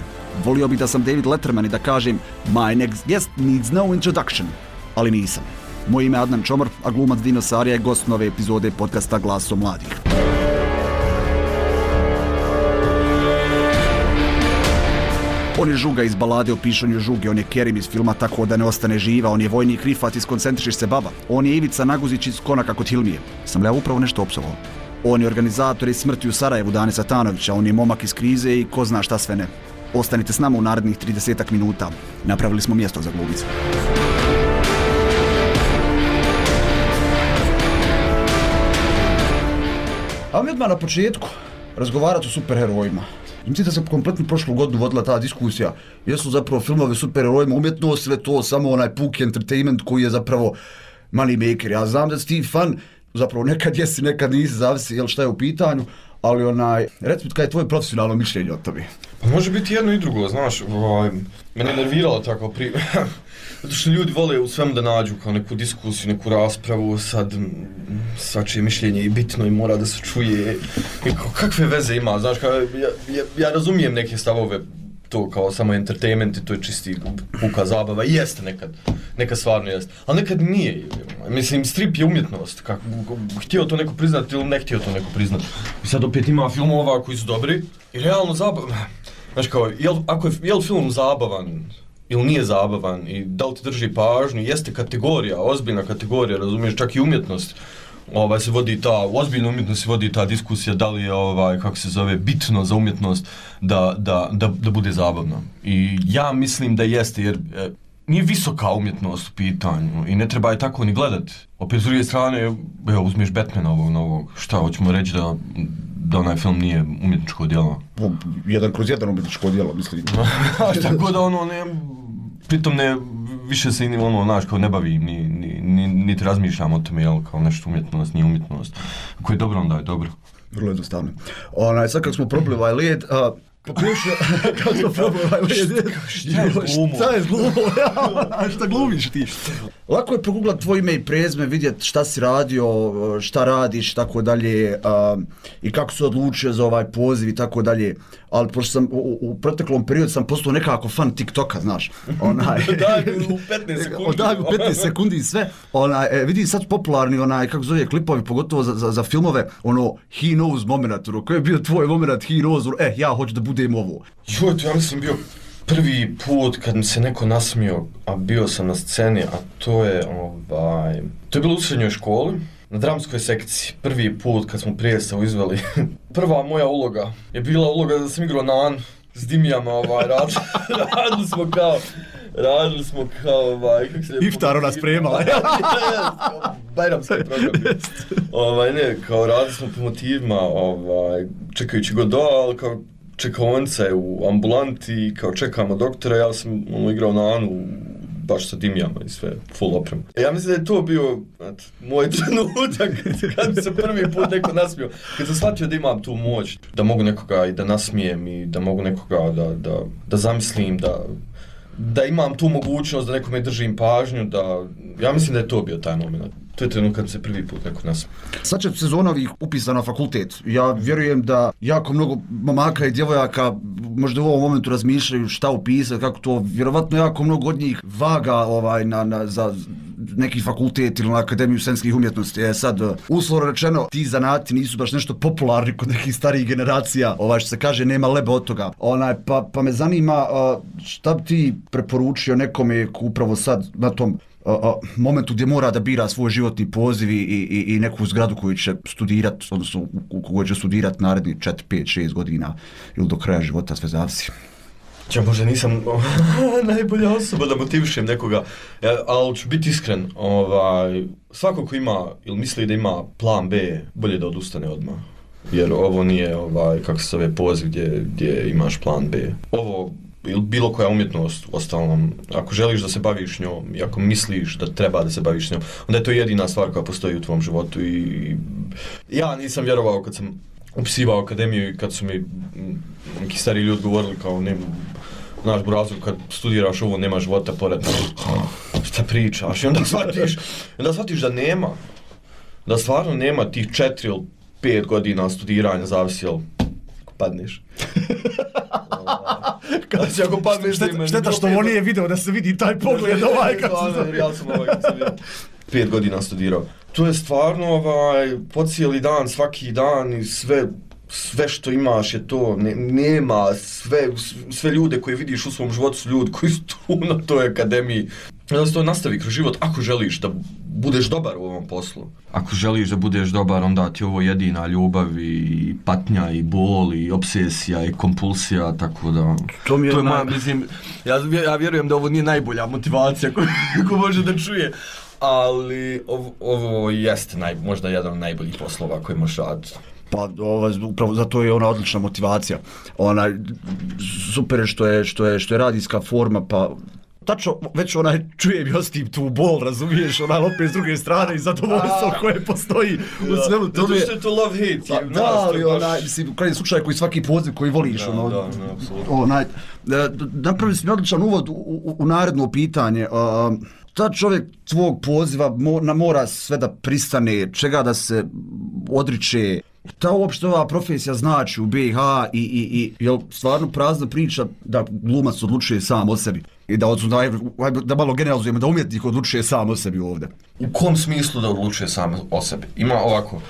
Volio bih da sam David Letterman i da kažem My next guest needs no introduction. Ali nisam. Moje ime je Adnan Čomor, a glumac Dino Sarija je gost nove epizode podcasta Glasom mladih. On je Žuga iz balade o pišanju Žuge, on je Kerim iz filma Tako da ne ostane živa, on je vojnik Rifat iz Koncentriš se baba, on je Ivica Naguzić iz Konaka kod Hilmije. Sam li ja upravo nešto opsovao? On je organizator iz Smrti u Sarajevu Dane Satanovića, on je momak iz Krize i ko zna šta sve ne. Ostanite s nama u narednih tridesetak minuta. Napravili smo mjesto za glumice. A mi odmah na početku razgovarati o superherojima. Mislim da se kompletno prošlu godinu vodila ta diskusija. Jesu zapravo filmovi superherojima umjetnost ili to samo onaj puki entertainment koji je zapravo money maker. Ja znam da si ti fan, zapravo nekad jesi, nekad nisi, zavisi jel šta je u pitanju, ali onaj, reci mi kaj je tvoje profesionalno mišljenje o tome? Pa može biti jedno i drugo, znaš, ovaj, mene je nerviralo tako pri... Zato što ljudi vole u svemu da nađu kao neku diskusiju, neku raspravu, sad svačije mišljenje je bitno i mora da se čuje. I kao, kakve veze ima, znaš, kao, ja, ja, ja razumijem neke stavove, to kao samo entertainment i to je čisti puka zabava, i jeste nekad, nekad stvarno jeste, ali nekad nije. Mislim, strip je umjetnost, kako, htio to neko priznati ili ne htio to neko priznati. I sad opet ima filmova koji su dobri i realno zabavan. Znaš kao, jel, ako je, je li film zabavan ili nije zabavan i da li ti drži pažnju, jeste kategorija, ozbiljna kategorija, razumiješ, čak i umjetnost. Ovaj, se vodi ta, u ozbiljnu umjetnost se vodi ta diskusija da li je, ovaj, kako se zove, bitno za umjetnost da, da, da, da bude zabavno. I ja mislim da jeste, jer e, nije visoka umjetnost u pitanju i ne treba je tako ni gledat. Opet s druge strane, evo, uzmeš Batmana ovog novog, šta, hoćemo reći da, da onaj film nije umjetničko djelo? Jedan kroz jedan umjetničko djelo, mislim. Tako da ono, ne, pritom ne, više se ni ono, znaš, kao ne bavim, ni, ni, ni, niti razmišljam o tome, jel, kao nešto umjetnost, nije umjetnost. Ako je dobro, onda je dobro. Vrlo jednostavno. Onaj, sad kako smo probili ovaj led, a, Pa piše, kako to probao, šta je glumo? Šta je glumo, ja, šta glumiš ti? Lako je proguglat tvoj ime i prezme, vidjeti šta si radio, šta radiš, tako dalje, i kako se odlučio za ovaj poziv i tako dalje, ali pošto sam u, u proteklom periodu sam postao nekako fan TikToka, znaš. Onaj, daj u petnaest sekundi. Daj u petnaest sekundi i sve. Onaj, e, vidi sad popularni, onaj, kako zove, klipovi, pogotovo za, za, za filmove, ono, he knows moment, ono, koji je bio tvoj moment, he knows, ono, eh, ja hoću da budem ovo. Joj, to ja mislim bio prvi put kad mi se neko nasmio, a bio sam na sceni, a to je, ovaj, to je bilo u srednjoj školi, na dramskoj sekciji, prvi put kad smo predstavu izveli. Prva moja uloga je bila uloga da sam igrao Nan s Dimijama, ovaj, radili, radili smo kao, radili smo kao, ovaj, kako se... Iftar ona spremala. Bajramski program. Ovaj, ne, kao radili smo po motivima, ovaj, čekajući Godot, ali kao čekaonice u ambulanti, kao čekamo doktora, ja sam ono, igrao na Anu, baš sa Dimijama i sve, full oprem. Ja mislim da je to bio et, moj trenutak kad mi se prvi put neko nasmio. Kad sam shvatio da imam tu moć, da mogu nekoga i da nasmijem i da mogu nekoga da, da, da zamislim, da, da imam tu mogućnost da nekome držim pažnju, da, ja mislim da je to bio taj moment. To je trenutak kad se prvi put neko nasmije. Sad će sezona ovih upisa na fakultet. Ja vjerujem da jako mnogo momaka i djevojaka možda u ovom momentu razmišljaju šta upisati, kako to, vjerovatno jako mnogo od njih vaga ovaj, na, na, za neki fakultet ili na Akademiju scenskih umjetnosti. E sad, uslovno rečeno, ti zanati nisu baš nešto popularni kod nekih starijih generacija, ovaj, što se kaže, nema leba od toga. Onaj, pa, pa me zanima šta bi ti preporučio nekome upravo sad na tom Uh, uh, momentu gdje mora da bira svoj životni poziv i, i, i neku zgradu koju će studirati, odnosno u kojoj će studirati naredni četiri, pet, šest godina ili do kraja života, sve zavisi. Ja možda nisam najbolja osoba da motivišem nekoga, ja, ali ću biti iskren, ovaj, svako ko ima ili misli da ima plan B, bolje da odustane odmah. Jer ovo nije, ovaj, kako se zove, poziv gdje, gdje imaš plan B. Ovo ili bilo koja umjetnost, ostalom, ako želiš da se baviš njom i ako misliš da treba da se baviš njom, onda je to jedina stvar koja postoji u tvom životu i ja nisam vjerovao kad sam upisivao akademiju i kad su mi neki stari ljudi govorili kao ne, naš burazu, kad studiraš ovo nema života pored, šta pričaš i onda shvatiš, onda shvatiš da nema, da stvarno nema tih četiri ili pet godina studiranja, zavisi jel padneš. Kada će ako padneš da imaš... Šteta što ovo nije video da se vidi taj pogled ovaj kako se zove. Ja sam ovaj kako se vidi. Pet godina studirao. To je stvarno ovaj, po cijeli dan, svaki dan i sve, sve što imaš je to, ne, nema sve, sve ljude koje vidiš u svom životu su ljudi koji su tu na toj akademiji. Da se to nastavi kroz život ako želiš da budeš dobar u ovom poslu. Ako želiš da budeš dobar, onda ti ovo jedina ljubav i patnja i bol i obsesija i kompulsija, tako da... To mi je, to je moja, mislim, ja, ja vjerujem da ovo nije najbolja motivacija koju ko može da čuje, ali ovo, ovo jeste naj, možda jedan od najboljih poslova koji možeš raditi. Pa ovo, upravo zato je ona odlična motivacija. Ona, super je što je, što je, što je radijska forma, pa... Tačno, već onaj čujem i ostim tu bol, razumiješ, onaj opet s druge strane i zadovoljstvo koje postoji u svemu tome. Zato što je to love-hate. Pa, da, ali onaj, mislim, u krajnjem slučaju koji svaki poziv koji voliš, da, ono, da, da, apsolutno. Onaj, napravili si mi odličan uvod u, u, u naredno pitanje. Uh, ta čovjek tvog poziva mora, mora sve da pristane, čega da se odriče. Ta uopšte ova profesija znači u B iH i, i, i je stvarno prazna priča da glumac odlučuje sam o sebi i da, da, da malo generalizujemo da umjetnik odlučuje sam o sebi ovdje. U kom smislu da odlučuje sam o sebi? Ima ovako, uh,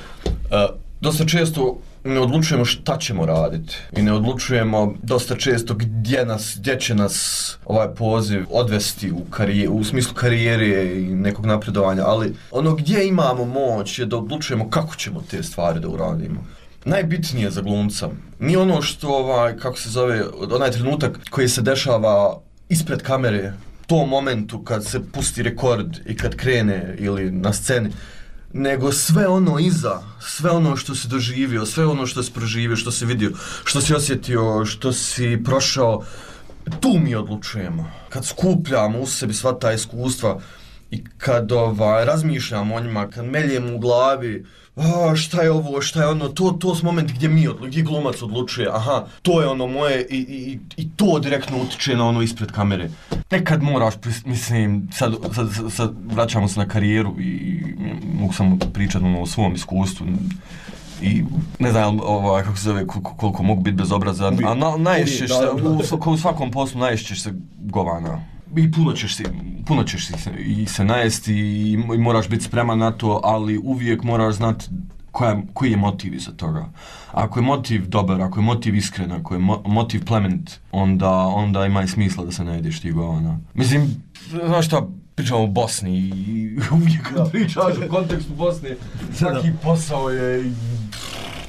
dosta često ne odlučujemo šta ćemo raditi i ne odlučujemo dosta često gdje nas, gdje će nas ovaj poziv odvesti u, karije, u smislu karijere i nekog napredovanja, ali ono gdje imamo moć je da odlučujemo kako ćemo te stvari da uradimo. Najbitnije za glumca nije ono što, ovaj, kako se zove, onaj trenutak koji se dešava ispred kamere, tom momentu kad se pusti rekord i kad krene ili na sceni, nego sve ono iza, sve ono što si doživio, sve ono što si proživio, što si vidio, što si osjetio, što si prošao, tu mi odlučujemo. Kad skupljamo u sebi sva ta iskustva i kad ovaj, razmišljam o njima, kad meljem u glavi, a, šta je ovo, šta je ono, to, to su momenti gdje mi odlučuje, gdje glumac odlučuje, aha, to je ono moje i, i, i to direktno utiče na ono ispred kamere. Nekad moraš, mislim, sad, sad, sad vraćamo se na karijeru i, i mogu samo pričati ono, o svom iskustvu. I ne znam ovaj, kako se zove, koliko mogu biti bezobrazan, a na, naješćeš se, u, u svakom poslu naješćeš se govana. I puno ćeš se, puno ćeš se, i se najesti i, i moraš biti spreman na to, ali uvijek moraš znati koja, koji je motiv iza toga. Ako je motiv dobar, ako je motiv iskren, ako je mo, motiv plemenit, onda, onda ima i smisla da se ne jedeš ti govana. Mislim, znaš šta, pričamo o Bosni i uvijek kad pričaš u kontekstu Bosne, svaki posao je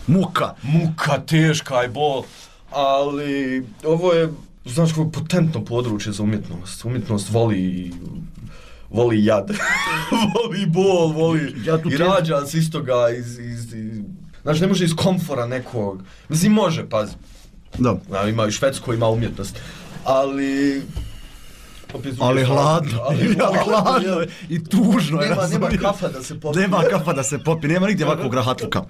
muka, muka, teška i bol, ali ovo je, znaš, kako potentno područje za umjetnost. Umjetnost voli, voli jad, voli bol, voli ja i rađa se iz toga, iz, iz, iz, znaš, ne može iz komfora nekog, mislim, može, pazi, da. Znaš, ima i Švedsko, ima umjetnost, ali... Ali hladno, ali, ali hladno i tužno je. Nema, nema kafa da se popi. Nema kafa da se popi, nema nigdje ovakvog rahatluka.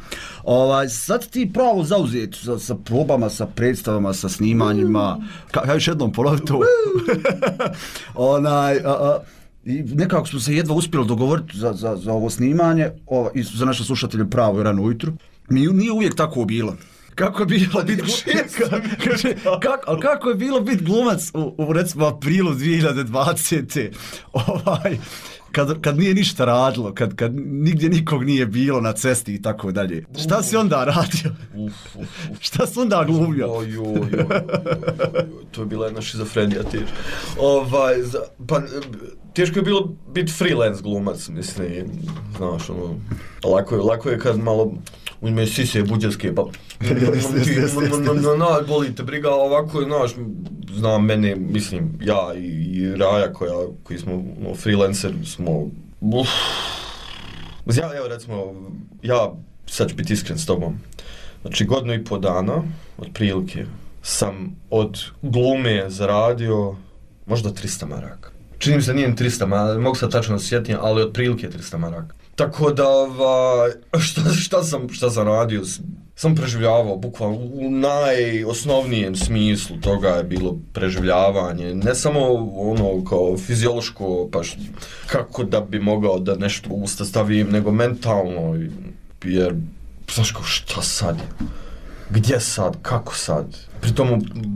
Ovaj, sad ti pravo zauzeti sa, sa probama, sa predstavama, sa snimanjima. Ka, još jednom ponovi to. Onaj, a, a, i nekako smo se jedva uspjeli dogovoriti za, za, za ovo snimanje, o, i za naše slušatelje pravo i rano ujutru. Mi nije uvijek tako bilo. Kako je bilo biti kako, kako je bilo biti glumac u, u recimo aprilu dvije hiljade dvadesete. Ovaj, kad, kad nije ništa radilo, kad, kad nigdje nikog nije bilo na cesti i tako dalje. Šta si onda radio? Uf, uf, uf. Šta si onda glumio? Oj, oj, oj, oj, oj, to je bila jedna šizofrenija teška. Ovaj, za, pa, teško je bilo biti freelance glumac, mislim, znaš, ono, lako je, lako je kad malo uzme sise buđarske, pa boli te briga, ovako je, znaš, znam mene, mislim, ja i Raja koja, koji smo no, freelancer, smo, uf. Ja, evo recimo, ja sad ću biti iskren s tobom, znači godinu i po dana, otprilike, sam od glume zaradio možda trista maraka. Čini mi se nije trista maraka, mogu sad tačno se sjetim, ali otprilike trista maraka. Tako da, ovaj, šta, šta, sam, šta sam radio, sam preživljavao, bukvalno u najosnovnijem smislu toga je bilo preživljavanje, ne samo ono kao fiziološko, pa š, kako da bi mogao da nešto u usta stavim, nego mentalno, jer, znaš kao, šta sad je? Gdje sad, kako sad? Pritom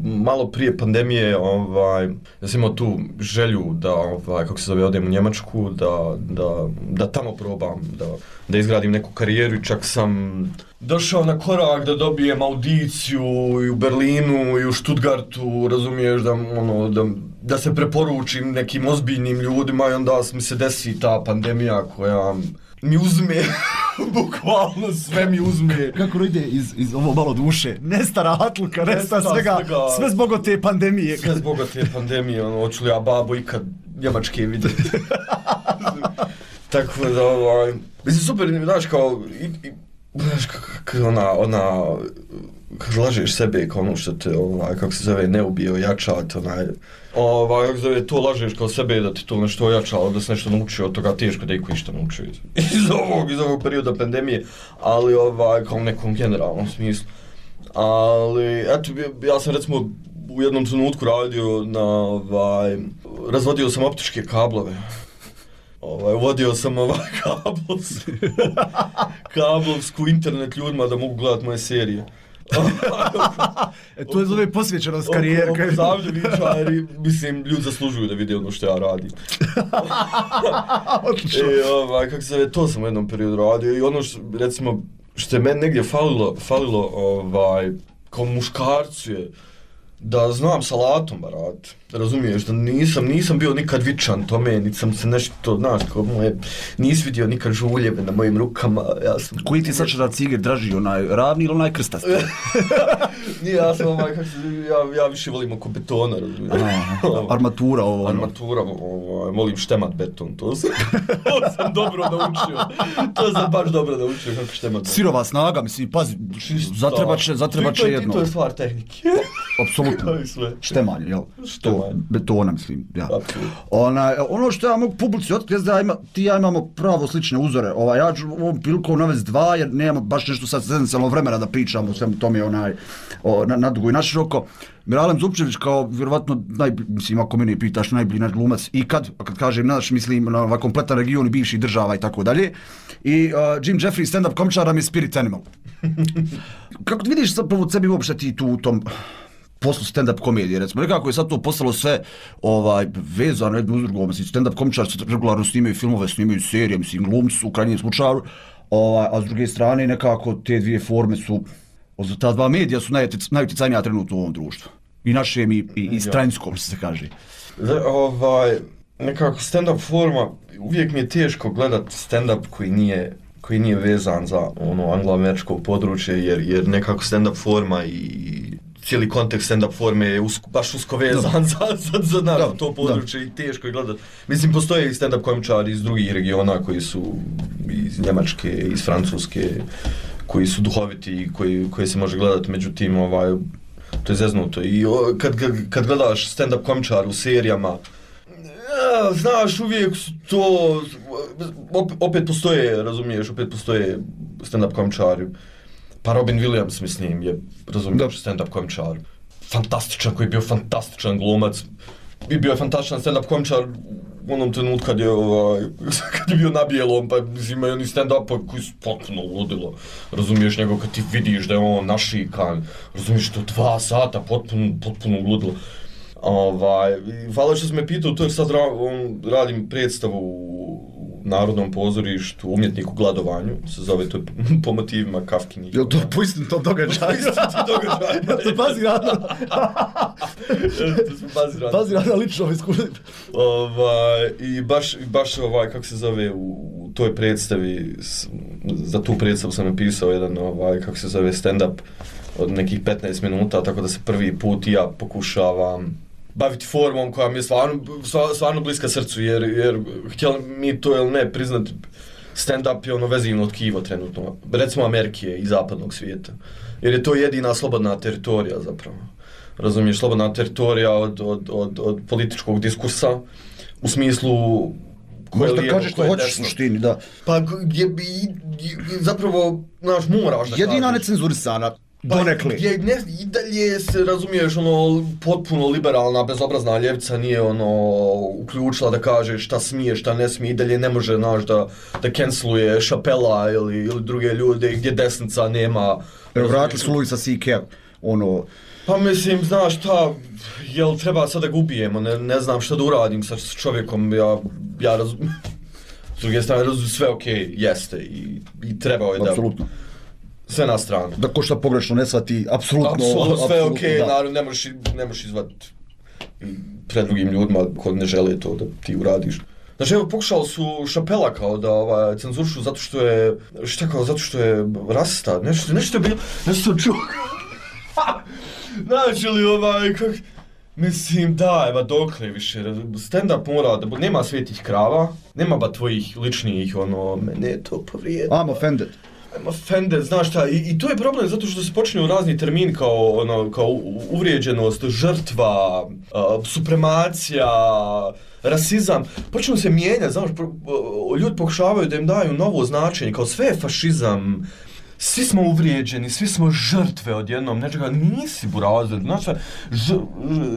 malo prije pandemije, ovaj, ja sam imao tu želju da, ovaj, kako se zove, odem u Njemačku, da, da, da tamo probam, da, da izgradim neku karijeru i čak sam došao na korak da dobijem audiciju i u Berlinu i u Stuttgartu, razumiješ, da, ono, da, da se preporučim nekim ozbiljnim ljudima i onda mi se desi ta pandemija koja mi uzme, bukvalno sve mi uzme. Kako ide iz, iz ovo malo duše? Nesta rahatluka, nesta svega, svega, sve zbog te pandemije. Sve zbog te pandemije, ono, hoću li ja babo ikad Njemačke vidjeti. Tako da, ovaj, mislim, super, znaš, kao, i, i, znaš, kako ona, ona, kad lažeš sebe kao ono što te, ovaj, kako se zove, ne ubije, ojačat, onaj, ovaj, kako se zove, to lažeš kao sebe da ti to nešto ojačalo, da se nešto naučio od toga, teško da iko išta naučio iz, iz ovog, iz ovog perioda pandemije, ali, ovaj, kao u nekom generalnom smislu. Ali, eto, ja sam recimo u jednom trenutku radio na, ovaj, razvodio sam optičke kablove. Ovaj, uvodio sam ovaj kablovsku, kablovsku internet ljudima da mogu gledat moje serije. E, to je zove posvećenost karijere. Oko zavljevičari, mislim, ljudi zaslužuju da vide ono što ja radim. E, ovaj, kako se zove, to sam u jednom periodu radio i ono što, recimo, što je meni negdje falilo, falilo ovaj, kao muškarcu je da znam salatom barat, razumiješ, da nisam, nisam bio nikad vičan tome, niti sam se nešto, znaš, kao moje, nisi vidio nikad žuljeve na mojim rukama, ja sam... Koji ti sad da ciger draži, onaj ravni ili onaj krstasti? Nije, ja sam ovaj, kako se, ja, ja više volim oko betona, razumiješ. Armatura ovo, ono. Armatura, ovaj, volim štemat beton, to sam, to sam dobro naučio, to sam baš dobro naučio kako štemat beton. Sirova snaga, mislim, pazi, zatrebat će, zatrebat će jedno. To je stvar tehnike. Apsolutno, štemanje, jel? Štemanje. Ovaj. Betona, mislim, ja. Ona, ono što ja mogu publici otkriti, da ima, ti ja imamo pravo slične uzore. Ovaj, ja ću ovom prilikom navesti dva, jer nemamo baš nešto sad senzacionalno vremena da pričamo o svemu tome onaj, o, na, na dugo i naširoko. Miralem Zupčević kao vjerovatno, naj, mislim, ako mene pitaš, najbolji naš glumac ikad, a kad kažem naš, mislim na ovaj kompletan region i bivših država i tako dalje. I uh, Jim Jeffries, stand-up komičar, nam je spirit animal. Kako ti vidiš zapravo sebi uopšte ti tu u tom poslu stand-up komedije, recimo, nekako je sad to postalo sve ovaj, vezano jedno uz drugo, mislim, stand-up komičar se regularno snimaju filmove, snimaju serije, mislim, glumci u krajnjem slučaju, ovaj, a s druge strane nekako te dvije forme su, ta dva medija su najuticajnija trenutno u ovom društvu. I našem i, i, i stranskom, se kaže. Ovaj, nekako stand-up forma, uvijek mi je teško gledat stand-up koji nije koji nije vezan za ono anglo-američko područje, jer, jer nekako stand-up forma i cijeli kontekst stand-up forme je usko, baš usko vezan za, za, za naravno, to područje da. I teško je gledat. Mislim, postoje i stand-up komičari iz drugih regiona koji su iz Njemačke, iz Francuske, koji su duhoviti i koji, koji se može gledati, međutim, ovaj, to je zeznuto. I o, kad, kad gledaš stand-up komičar u serijama, ja, znaš, uvijek to, opet postoje, razumiješ, opet postoje stand-up komičari. Pa Robin Williams, mislim, je, razumiješ, stand-up komičar. Fantastičan, koji je bio fantastičan glumac. I bio je fantastičan stand-up komičar u onom trenutku kad je, ovaj, kad je bio na bijelom, pa imaju oni stand-upa koji su potpuno ludilo. Razumiješ njegov kad ti vidiš da je on našikan, razumiješ to dva sata, potpuno, potpuno ludilo. Ovaj, hvala što si me pitao, to je sad ra, on, radim predstavu u Narodnom pozorištu, Umjetnik u gladovanju, se zove to po motivima Kafkinih. Je li to po istom događaju? Po istom događaju. Ja se pazi rada. To se pazi rada. Pazi rada lično iskustvo. Ovaj, i baš, baš ovaj, kako se zove, u, u toj predstavi, za tu predstavu sam napisao jedan, ovaj, kako se zove, stand-up od nekih petnaest minuta, tako da se prvi put i ja pokušavam baviti formom koja mi je stvarno, stvarno bliska srcu, jer, jer htjeli mi to ili ne priznati, stand-up je ono vezivno tkivo trenutno, recimo Amerike i zapadnog svijeta, jer je to jedina slobodna teritorija zapravo. Razumiješ, slobodna teritorija od, od, od, od političkog diskursa, u smislu koje možda kažeš što hoćeš u suštini, da. Pa gdje bi, zapravo, znaš, moraš da kažeš. Jedina necenzurisana. Donekle. Gdje ne, i dalje se, razumiješ, ono, potpuno liberalna, bezobrazna ljevica nije, ono, uključila da kaže šta smije, šta ne smije, i dalje ne može, znaš, da, da canceluje Chappella ili, ili druge ljude, gdje desnica nema. Evo, vratili su Louisa C K, ono... Pa mislim, znaš šta, jel treba sad da ga ubijemo, ne, ne znam šta da uradim sa čovjekom, ja, ja razumijem. S druge strane, razumijem, sve okej, okay, jeste, i, i trebao je da... Apsolutno. Sve na stranu. Da ko šta pogrešno ne shvati, apsolutno... Apsolutno, sve ok, naravno, ne možeš, ne možeš izvati pred drugim ljudima koji ne žele to da ti uradiš. Znači, evo, pokušali su Chappella kao da ovaj, cenzurišu zato što je, šta kao, zato što je rasista, nešto, nešto je bilo, nešto čuo. Znači li ovaj, kak... Mislim, da, evo, dokle više, stand-up mora da, nema svetih krava, nema ba tvojih ličnih, ono, mene je to povrijedno. I'm offended. I'm offended, znaš šta, i, i to je problem zato što se počinju razni termini kao, ono, kao uvrijeđenost, žrtva, uh, supremacija, rasizam, počinju se mijenjati, znaš, ljudi pokušavaju da im daju novo značenje, kao sve je fašizam, svi smo uvrijeđeni, svi smo žrtve odjednom, nečega, nisi burazer, znaš šta,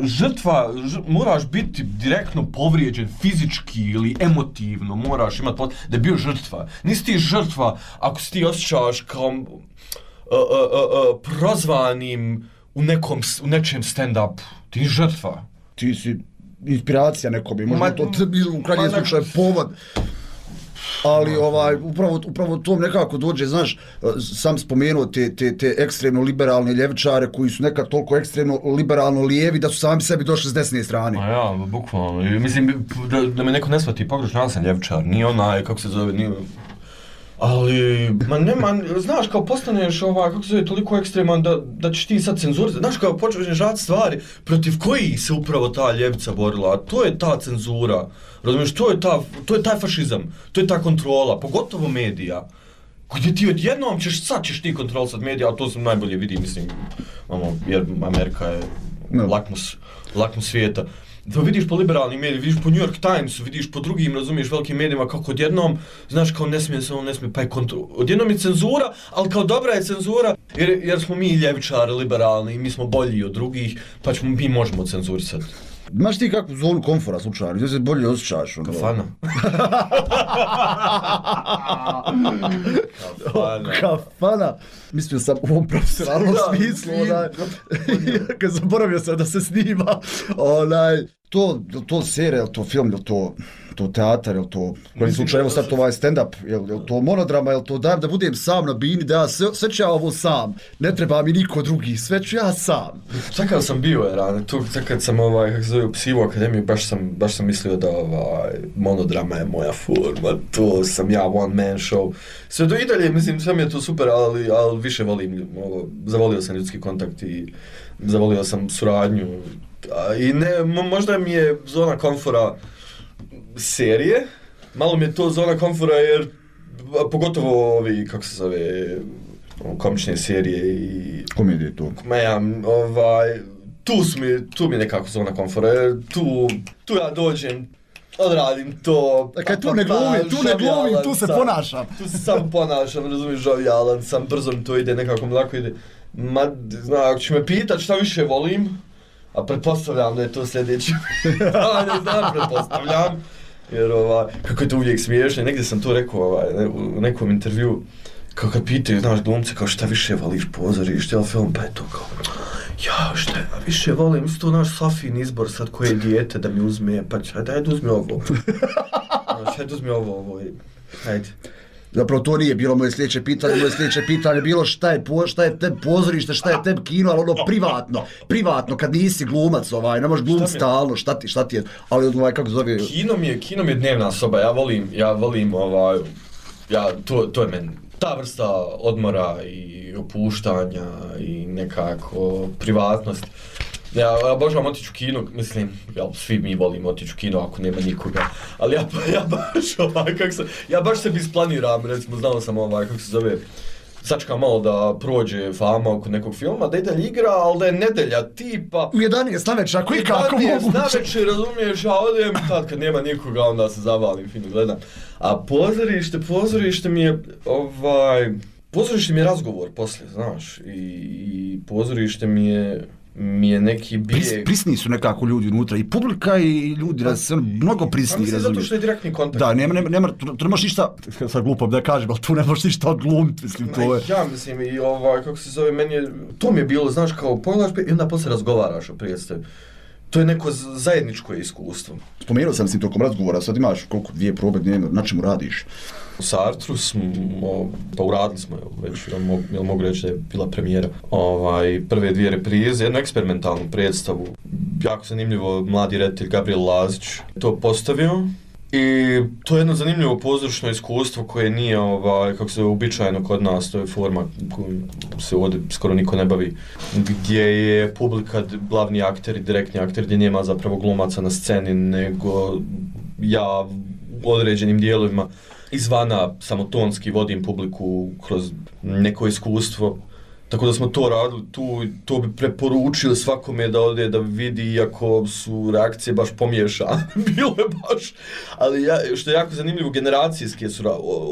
žrtva, ž, moraš biti direktno povrijeđen fizički ili emotivno, moraš imati pot... da je bio žrtva. Nisi ti žrtva ako si ti osjećaš kao uh, uh, uh, uh, prozvanim u, nekom, u nečem stand-upu, ti nisi žrtva. Ti si inspiracija nekobi, možda to u krajnjem slučaju povod. Ali ovaj, upravo, upravo to nekako dođe, znaš, sam spomenuo te, te, te ekstremno liberalne ljevičare koji su nekad toliko ekstremno liberalno lijevi da su sami sebi došli s desne strane. A ja, bukvalno. Mislim, da, da me neko ne shvati, pogrešno, ja sam ljevičar, nije onaj, kako se zove, nije... Ali, ma nema, znaš, kao postaneš ovaj, kako se zove, toliko ekstreman da, da ćeš ti sad cenzurizati. Znaš, kao počneš raditi stvari protiv kojih se upravo ta ljevica borila, a to je ta cenzura. Razumiješ, to je, ta, to je taj fašizam, to je ta kontrola, pogotovo medija. Gdje ti odjednom ćeš, sad ćeš ti kontrolisati medija, a to sam najbolje vidi, mislim, ono, jer Amerika je no. lakmus, lakmus svijeta. To vidiš po liberalnim medijima, vidiš po New York Timesu, vidiš po drugim, razumiješ, velikim medijima kako odjednom, znaš, kao ne smije se, on ne smije, pa je kontro... Odjednom je cenzura, ali kao dobra je cenzura, jer, jer smo mi ljevičari, liberalni, mi smo bolji od drugih, pa ćemo, mi možemo cenzurisati. Imaš ti kakvu zonu komfora slučajno, gdje se bolje osjećaš? Ono? Kafana. Kafana. Kafana. Mislio sam u ovom profesionalnom smislu, onaj, kad zaboravio sam da se snima, onaj, to, to serija, je to film, je to, to teatar, je to, koji slučaj, evo sad to ovaj stand-up, je, je to monodrama, je to dajem da budem sam na bini, da ja sve, sve ću ja ovo sam, ne treba mi niko drugi, sve ću ja sam. Sad kad sam bio, je rane, tu, sad kad sam, ovaj, kako se zove, u Psivu akademiju, baš sam, baš sam mislio da, ovaj, monodrama je moja forma, to sam ja, one man show. Sve do i dalje, mislim, sve mi je to super, ali, ali više volim, ovo, zavolio sam ljudski kontakt i zavolio sam suradnju. I ne, možda mi je zona komfora serije, malo mi je to zona komfora jer, pogotovo ovi, kako se zove, komične serije i... Komedije tu. Ja, ovaj, tu, su mi, tu mi je nekako zona komfora jer tu, tu ja dođem, odradim to... Dakle, tu ne glumim, tu ne glumim, tu se ponašam. Tu se sam ponašam, razumiješ, žovijalan sam, brzo mi to ide, nekako mi lako ide. Ma, zna, ako ću me pitat šta više volim, a pretpostavljam da je to sljedeće. Ja ne znam, pretpostavljam. Jer ovaj, kako je to uvijek smiješno, negdje sam to rekao ovaj, ne, u nekom intervju, kao kad pitaju, znaš, glumce, kao šta više voliš pozorište ili film, pa je to kao, ja šta ja više volim, mislim to naš Safin izbor sad koje dijete da mi uzme, pa će, ajde, ajde uzmi ovo. Ajde uzmi ovo, ovo, ajde. Zapravo to nije bilo moje sljedeće pitanje, moje sljedeće pitanje bilo šta je, po, šta je tebi pozorište, šta je tebi kino, ali ono privatno, privatno, kad nisi glumac, ovaj, ne možeš glumit stalno, šta ti, šta ti je, ali ovaj, kako zove... Kino mi je, kino mi je dnevna soba, ja volim, ja volim, ovaj, ja, to, to je meni, ta vrsta odmora i opuštanja i nekako privatnost. Ja obožavam otići u kino, mislim, ja, svi mi volimo otići u kino ako nema nikoga, ali ja, ja baš ovaj, kako se, ja baš sebi isplaniram, recimo, znao sam ovaj, kako se zove, sačekam malo da prođe fama oko nekog filma, da ide igra, ali da je nedelja tipa... U jedanaest navečer, ako i kako moguće. U jedanaest navečer, razumiješ, ja odem, tad kad nema nikoga, onda se zavalim, fino gledam. A pozorište, pozorište mi je, ovaj, pozorište mi je razgovor poslije, znaš, i, i pozorište mi je... mi je neki bijeg... Pris, prisni su nekako ljudi unutra, i publika i ljudi, pa, se, mnogo prisni, razumiješ. Zato što je direktni kontakt. Da, nema, nema, nema, tu, tu nemaš ništa, sad glupo da kažem, ali tu nemaš ništa odglumiti, mislim, to je... Ja mislim, i ovaj, kako se zove, meni je, to mi je bilo, znaš, kao pogledaš i onda poslije razgovaraš o predstavi. To je neko zajedničko iskustvo. Spomenuo sam si tokom razgovora, sad imaš koliko, dvije probe dnevno, na čemu radiš? U Sartru smo, pa uradili smo, već, jel mogu reći da je bila premijera, ovaj, prve dvije reprize, jednu eksperimentalnu predstavu. Jako zanimljivo, mladi reditelj Gabriel Lazić to postavio. I to je jedno zanimljivo pozorišno iskustvo koje nije, ovaj, kako se uobičajeno kod nas, to je forma kojom se ovdje skoro niko ne bavi, gdje je publika glavni akter i direktni akter, gdje nema zapravo glumaca na sceni, nego ja u određenim dijelovima izvana samotonski vodim publiku kroz neko iskustvo. Tako da smo to radili, tu, to bi preporučili svakome da ode da vidi, iako su reakcije baš pomiješane, bilo je baš, ali ja, što je jako zanimljivo, generacijske su,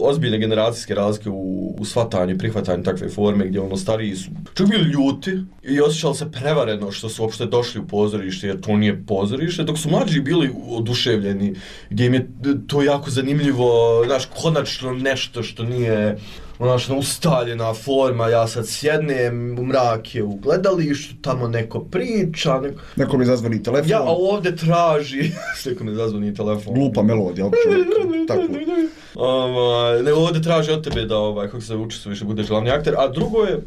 ozbiljne generacijske razlike u, u shvatanju i prihvatanju takve forme, gdje ono stariji su čak bili ljuti i osjećali se prevareno što su uopšte došli u pozorište, jer to nije pozorište, dok su mlađi bili oduševljeni, gdje im je to jako zanimljivo, znaš, konačno nešto što nije... Onačno ustaljena forma, ja sad sjednem u mrake u gledalištu, tamo neko priča, neko... Neko mi zazvoni telefon. Ja, a ovdje traži, neko mi zazvoni telefon. Glupa melodija, čovjek, tako. Um, ne, ovdje traži od tebe da, ovaj, kako se učestvuješ, da budeš glavni akter, a drugo je,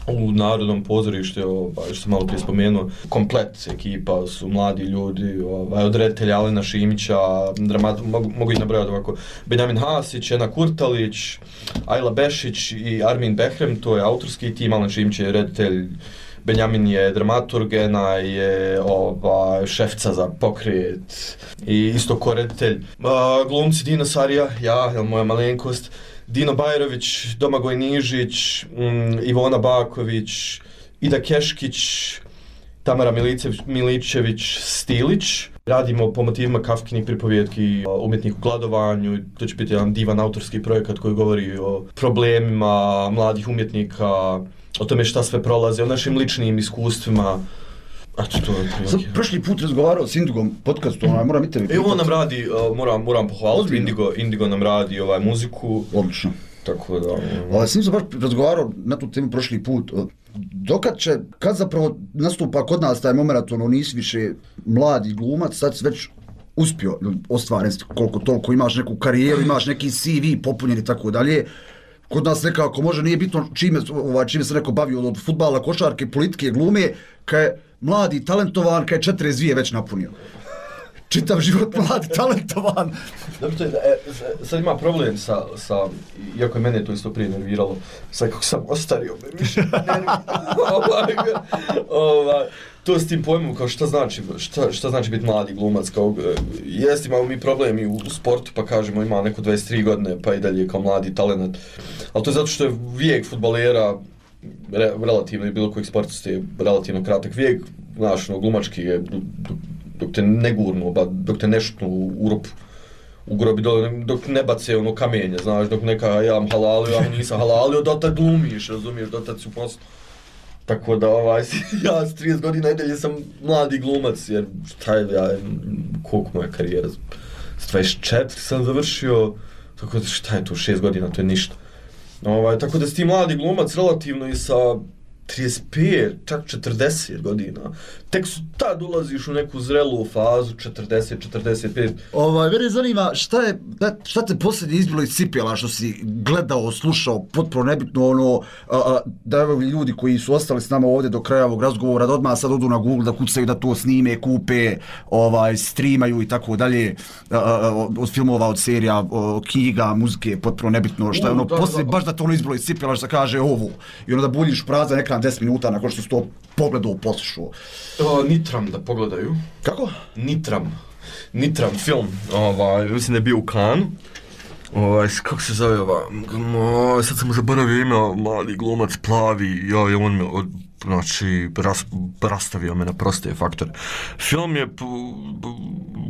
u Narodnom pozorištu, ovaj, što sam malo prije spomenuo, komplet ekipa su mladi ljudi, ovaj, od reditelja Alena Šimića, dramat, mogu, mogu ih nabrojati ovako, Benjamin Hasić, Ena Kurtalić, Ajla Bešić i Armin Behrem, to je autorski tim, Alen Šimić je reditelj, Benjamin je dramaturg, Ena je ovaj, šefca za pokret i isto ko reditelj. Uh, glumci Dina Sarija, ja, jel moja malenkost, Dino Bajrović, Domagoj Nižić, um, Ivona Baković, Ida Keškić, Tamara Milicević, Miličević, Stilić. Radimo po motivima Kafkinih pripovjetki, umjetnik u gladovanju, to će biti jedan divan autorski projekat koji govori o problemima mladih umjetnika, o tome šta sve prolaze, o našim ličnim iskustvima. Eto, to je Sam prošli put razgovarao s Indigom podcastu, onaj, moram i tebi pitati. E, on nam radi, uh, moram, moram pohvaliti, Indigo, Indigo nam radi ovaj, muziku. Odlično. Tako da... Um... S njim sam baš razgovarao na tu temu prošli put. Dokad će, kad zapravo nastupa kod nas taj moment, ono, nisi više mladi glumac, sad si već uspio ostvariti koliko toliko, imaš neku karijeru, imaš neki C V popunjen i tako dalje. Kod nas nekako može, nije bitno čime, ovaj, čime se neko bavio od fudbala, košarke, politike, glume, kad je mladi, talentovan, kad je četrdeset dvije već napunio. Čitav život mladi, talentovan. Dobro, to je, e, sad ima problem sa, sa, iako je mene to isto prije nerviralo, sad kako sam ostario, me više ovaj, ovaj, to s tim pojmom, kao šta znači, šta, šta znači biti mladi glumac, kao, jest imamo mi problemi u, u sportu, pa kažemo ima neko dvadeset tri godine, pa i dalje kao mladi talent, ali to je zato što je vijek fudbalera, re, relativno i bilo kojeg sportista je relativno kratak vijek, znaš, no, glumački je, dok te ne gurnu, dok te ne šutnu u rupu, u grobi dole, dok ne bace ono kamenje, znaš, dok neka ja am halalio, ja nisam halalio, dotad glumiš, razumiješ, dotad si u poslu. Tako da, ovaj, ja s trideset godina i dalje sam mladi glumac, jer šta je, ja, koliko moja karijera, s dvadeset četiri sam završio, tako da šta je to, šest godina, to je ništa. Ovaj, tako da si ti mladi glumac relativno i sa trideset pet, čak četrdeset godina. Tek su tad ulaziš u neku zrelu fazu, četrdeset, četrdeset pet. Ovaj, mene zanima šta je, šta te posljednje izbilo iz cipela, što si gledao, slušao, potpuno nebitno ono, a, a, da evo ljudi koji su ostali s nama ovdje do kraja ovog razgovora, da odmah sad odu na Google, da kucaju, da to snime, kupe, ovaj, streamaju i tako dalje, a, a, od filmova, od serija, od knjiga, muzike, potpuno nebitno, šta je ono, posljednje, baš da to ono izbilo iz cipela, što kaže ovo, i ono da buljiš prazan ekran deset minuta nakon što si to pogledao, poslušao. O, nitram da pogledaju. Kako? Nitram. Nitram film. Ovaj, mislim da je bio u Cannes. Ovaj, kako se zove ova? O, sad sam mu zaboravio ime, mladi glumac, plavi, ja, on me od, znači, ras, rastavio me na proste faktore. Film je p, p,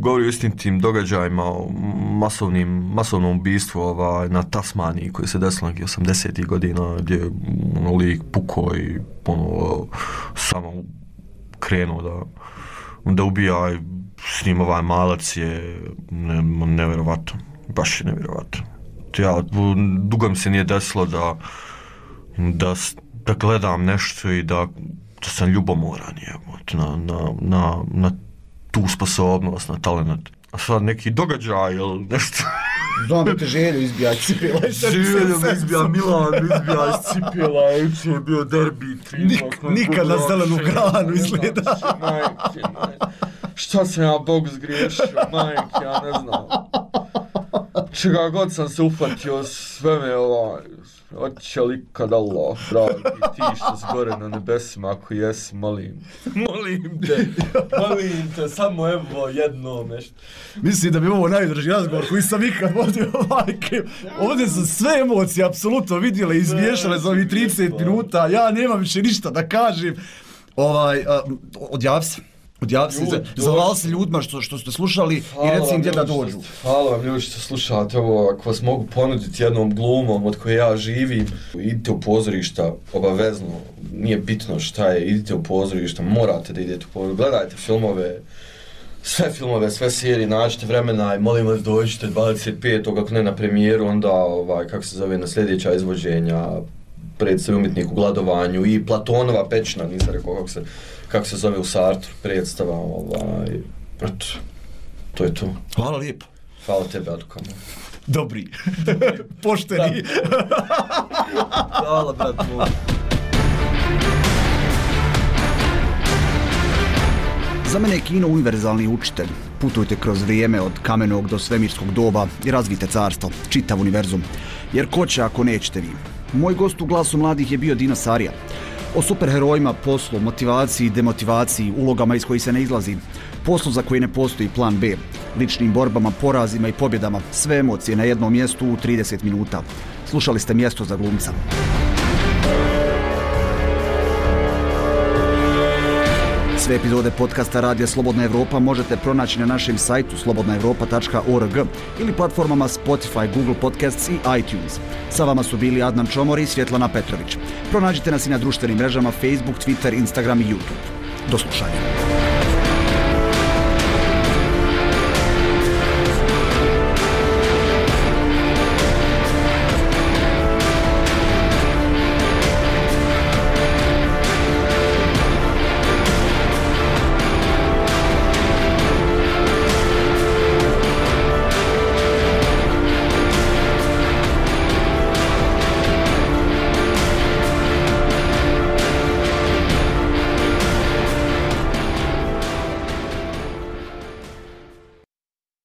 govori o istim tim događajima, o masovnim, masovnom ubistvu ovaj, na Tasmaniji koji se desilo nekih osamdesetih godina, gdje je ono, lik pukao i ono, samo krenuo da, da ubija i s njim ovaj malac je ne, nevjerovatno, baš je nevjerovatno. Ja, dugo mi se nije desilo da, da, da gledam nešto i da, da sam ljubomoran je, na, na, na, na tu sposobnost, na talent. A sad neki događaj ili nešto... Znam da te želju izbija iz cipela. Želju me izbija Milan, izbija iz cipela, juče je bio derbi. Nik, nikad na zelenu granu izgleda. Majke, majke. Šta sam ja Bog zgriješio, majke, ja ne znam. Čega god sam se uhvatio, sve me ovaj... Oće li kad Allah, dragi, ti što si gore na nebesima, ako jesi, molim. Molim te, molim te, samo evo jedno nešto. Mislim da bi ovo najdrži razgovor koji sam ikad vodio, majke. Ovdje su sve emocije apsolutno vidjele i izmiješale za ovih trideset minuta. Ja nemam više ništa da kažem. Ovaj, uh, odjavi se. Odjavi se, zavali se ljudima što, što ste slušali hvala i reci im gdje da dođu. Hvala vam ljudi što slušate ovo, ako vas mogu ponuditi jednom glumom od koje ja živim, idite u pozorišta, obavezno, nije bitno šta je, idite u pozorišta, morate da idete u pozorišta, gledajte filmove, sve filmove, sve serije, nađite vremena i molim vas dođite dvadeset petog ako ne na premijeru, onda, ovaj, kako se zove, na sljedeća izvođenja, predstav umjetnik u gladovanju i Platonova pećina, nisam rekao kako se, kako se zove u Sartru, predstava, ovaj, eto, to je to. Hvala lijepo. Hvala tebe, Adukama. Dobri. Pošteni. Hvala, brat moj. Za mene je kino univerzalni učitelj. Putujte kroz vrijeme od kamenog do svemirskog doba i razvijte carstvo, čitav univerzum. Jer ko će ako nećete vi? Moj gost u Glasu mladih je bio Dino Sarija. O superherojima, poslu, motivaciji, demotivaciji, ulogama iz kojih se ne izlazi, poslu za koji ne postoji plan B, ličnim borbama, porazima i pobjedama, sve emocije na jednom mjestu u trideset minuta. Slušali ste Mjesto za glumca. Sve epizode podcasta Radija Slobodna Evropa možete pronaći na našem sajtu slobodna evropa tačka org ili platformama Spotify, Google Podcasts i iTunes. Sa vama su bili Adnan Čomor i Svjetlana Petrović. Pronađite nas i na društvenim mrežama Facebook, Twitter, Instagram i YouTube. Do slušanja.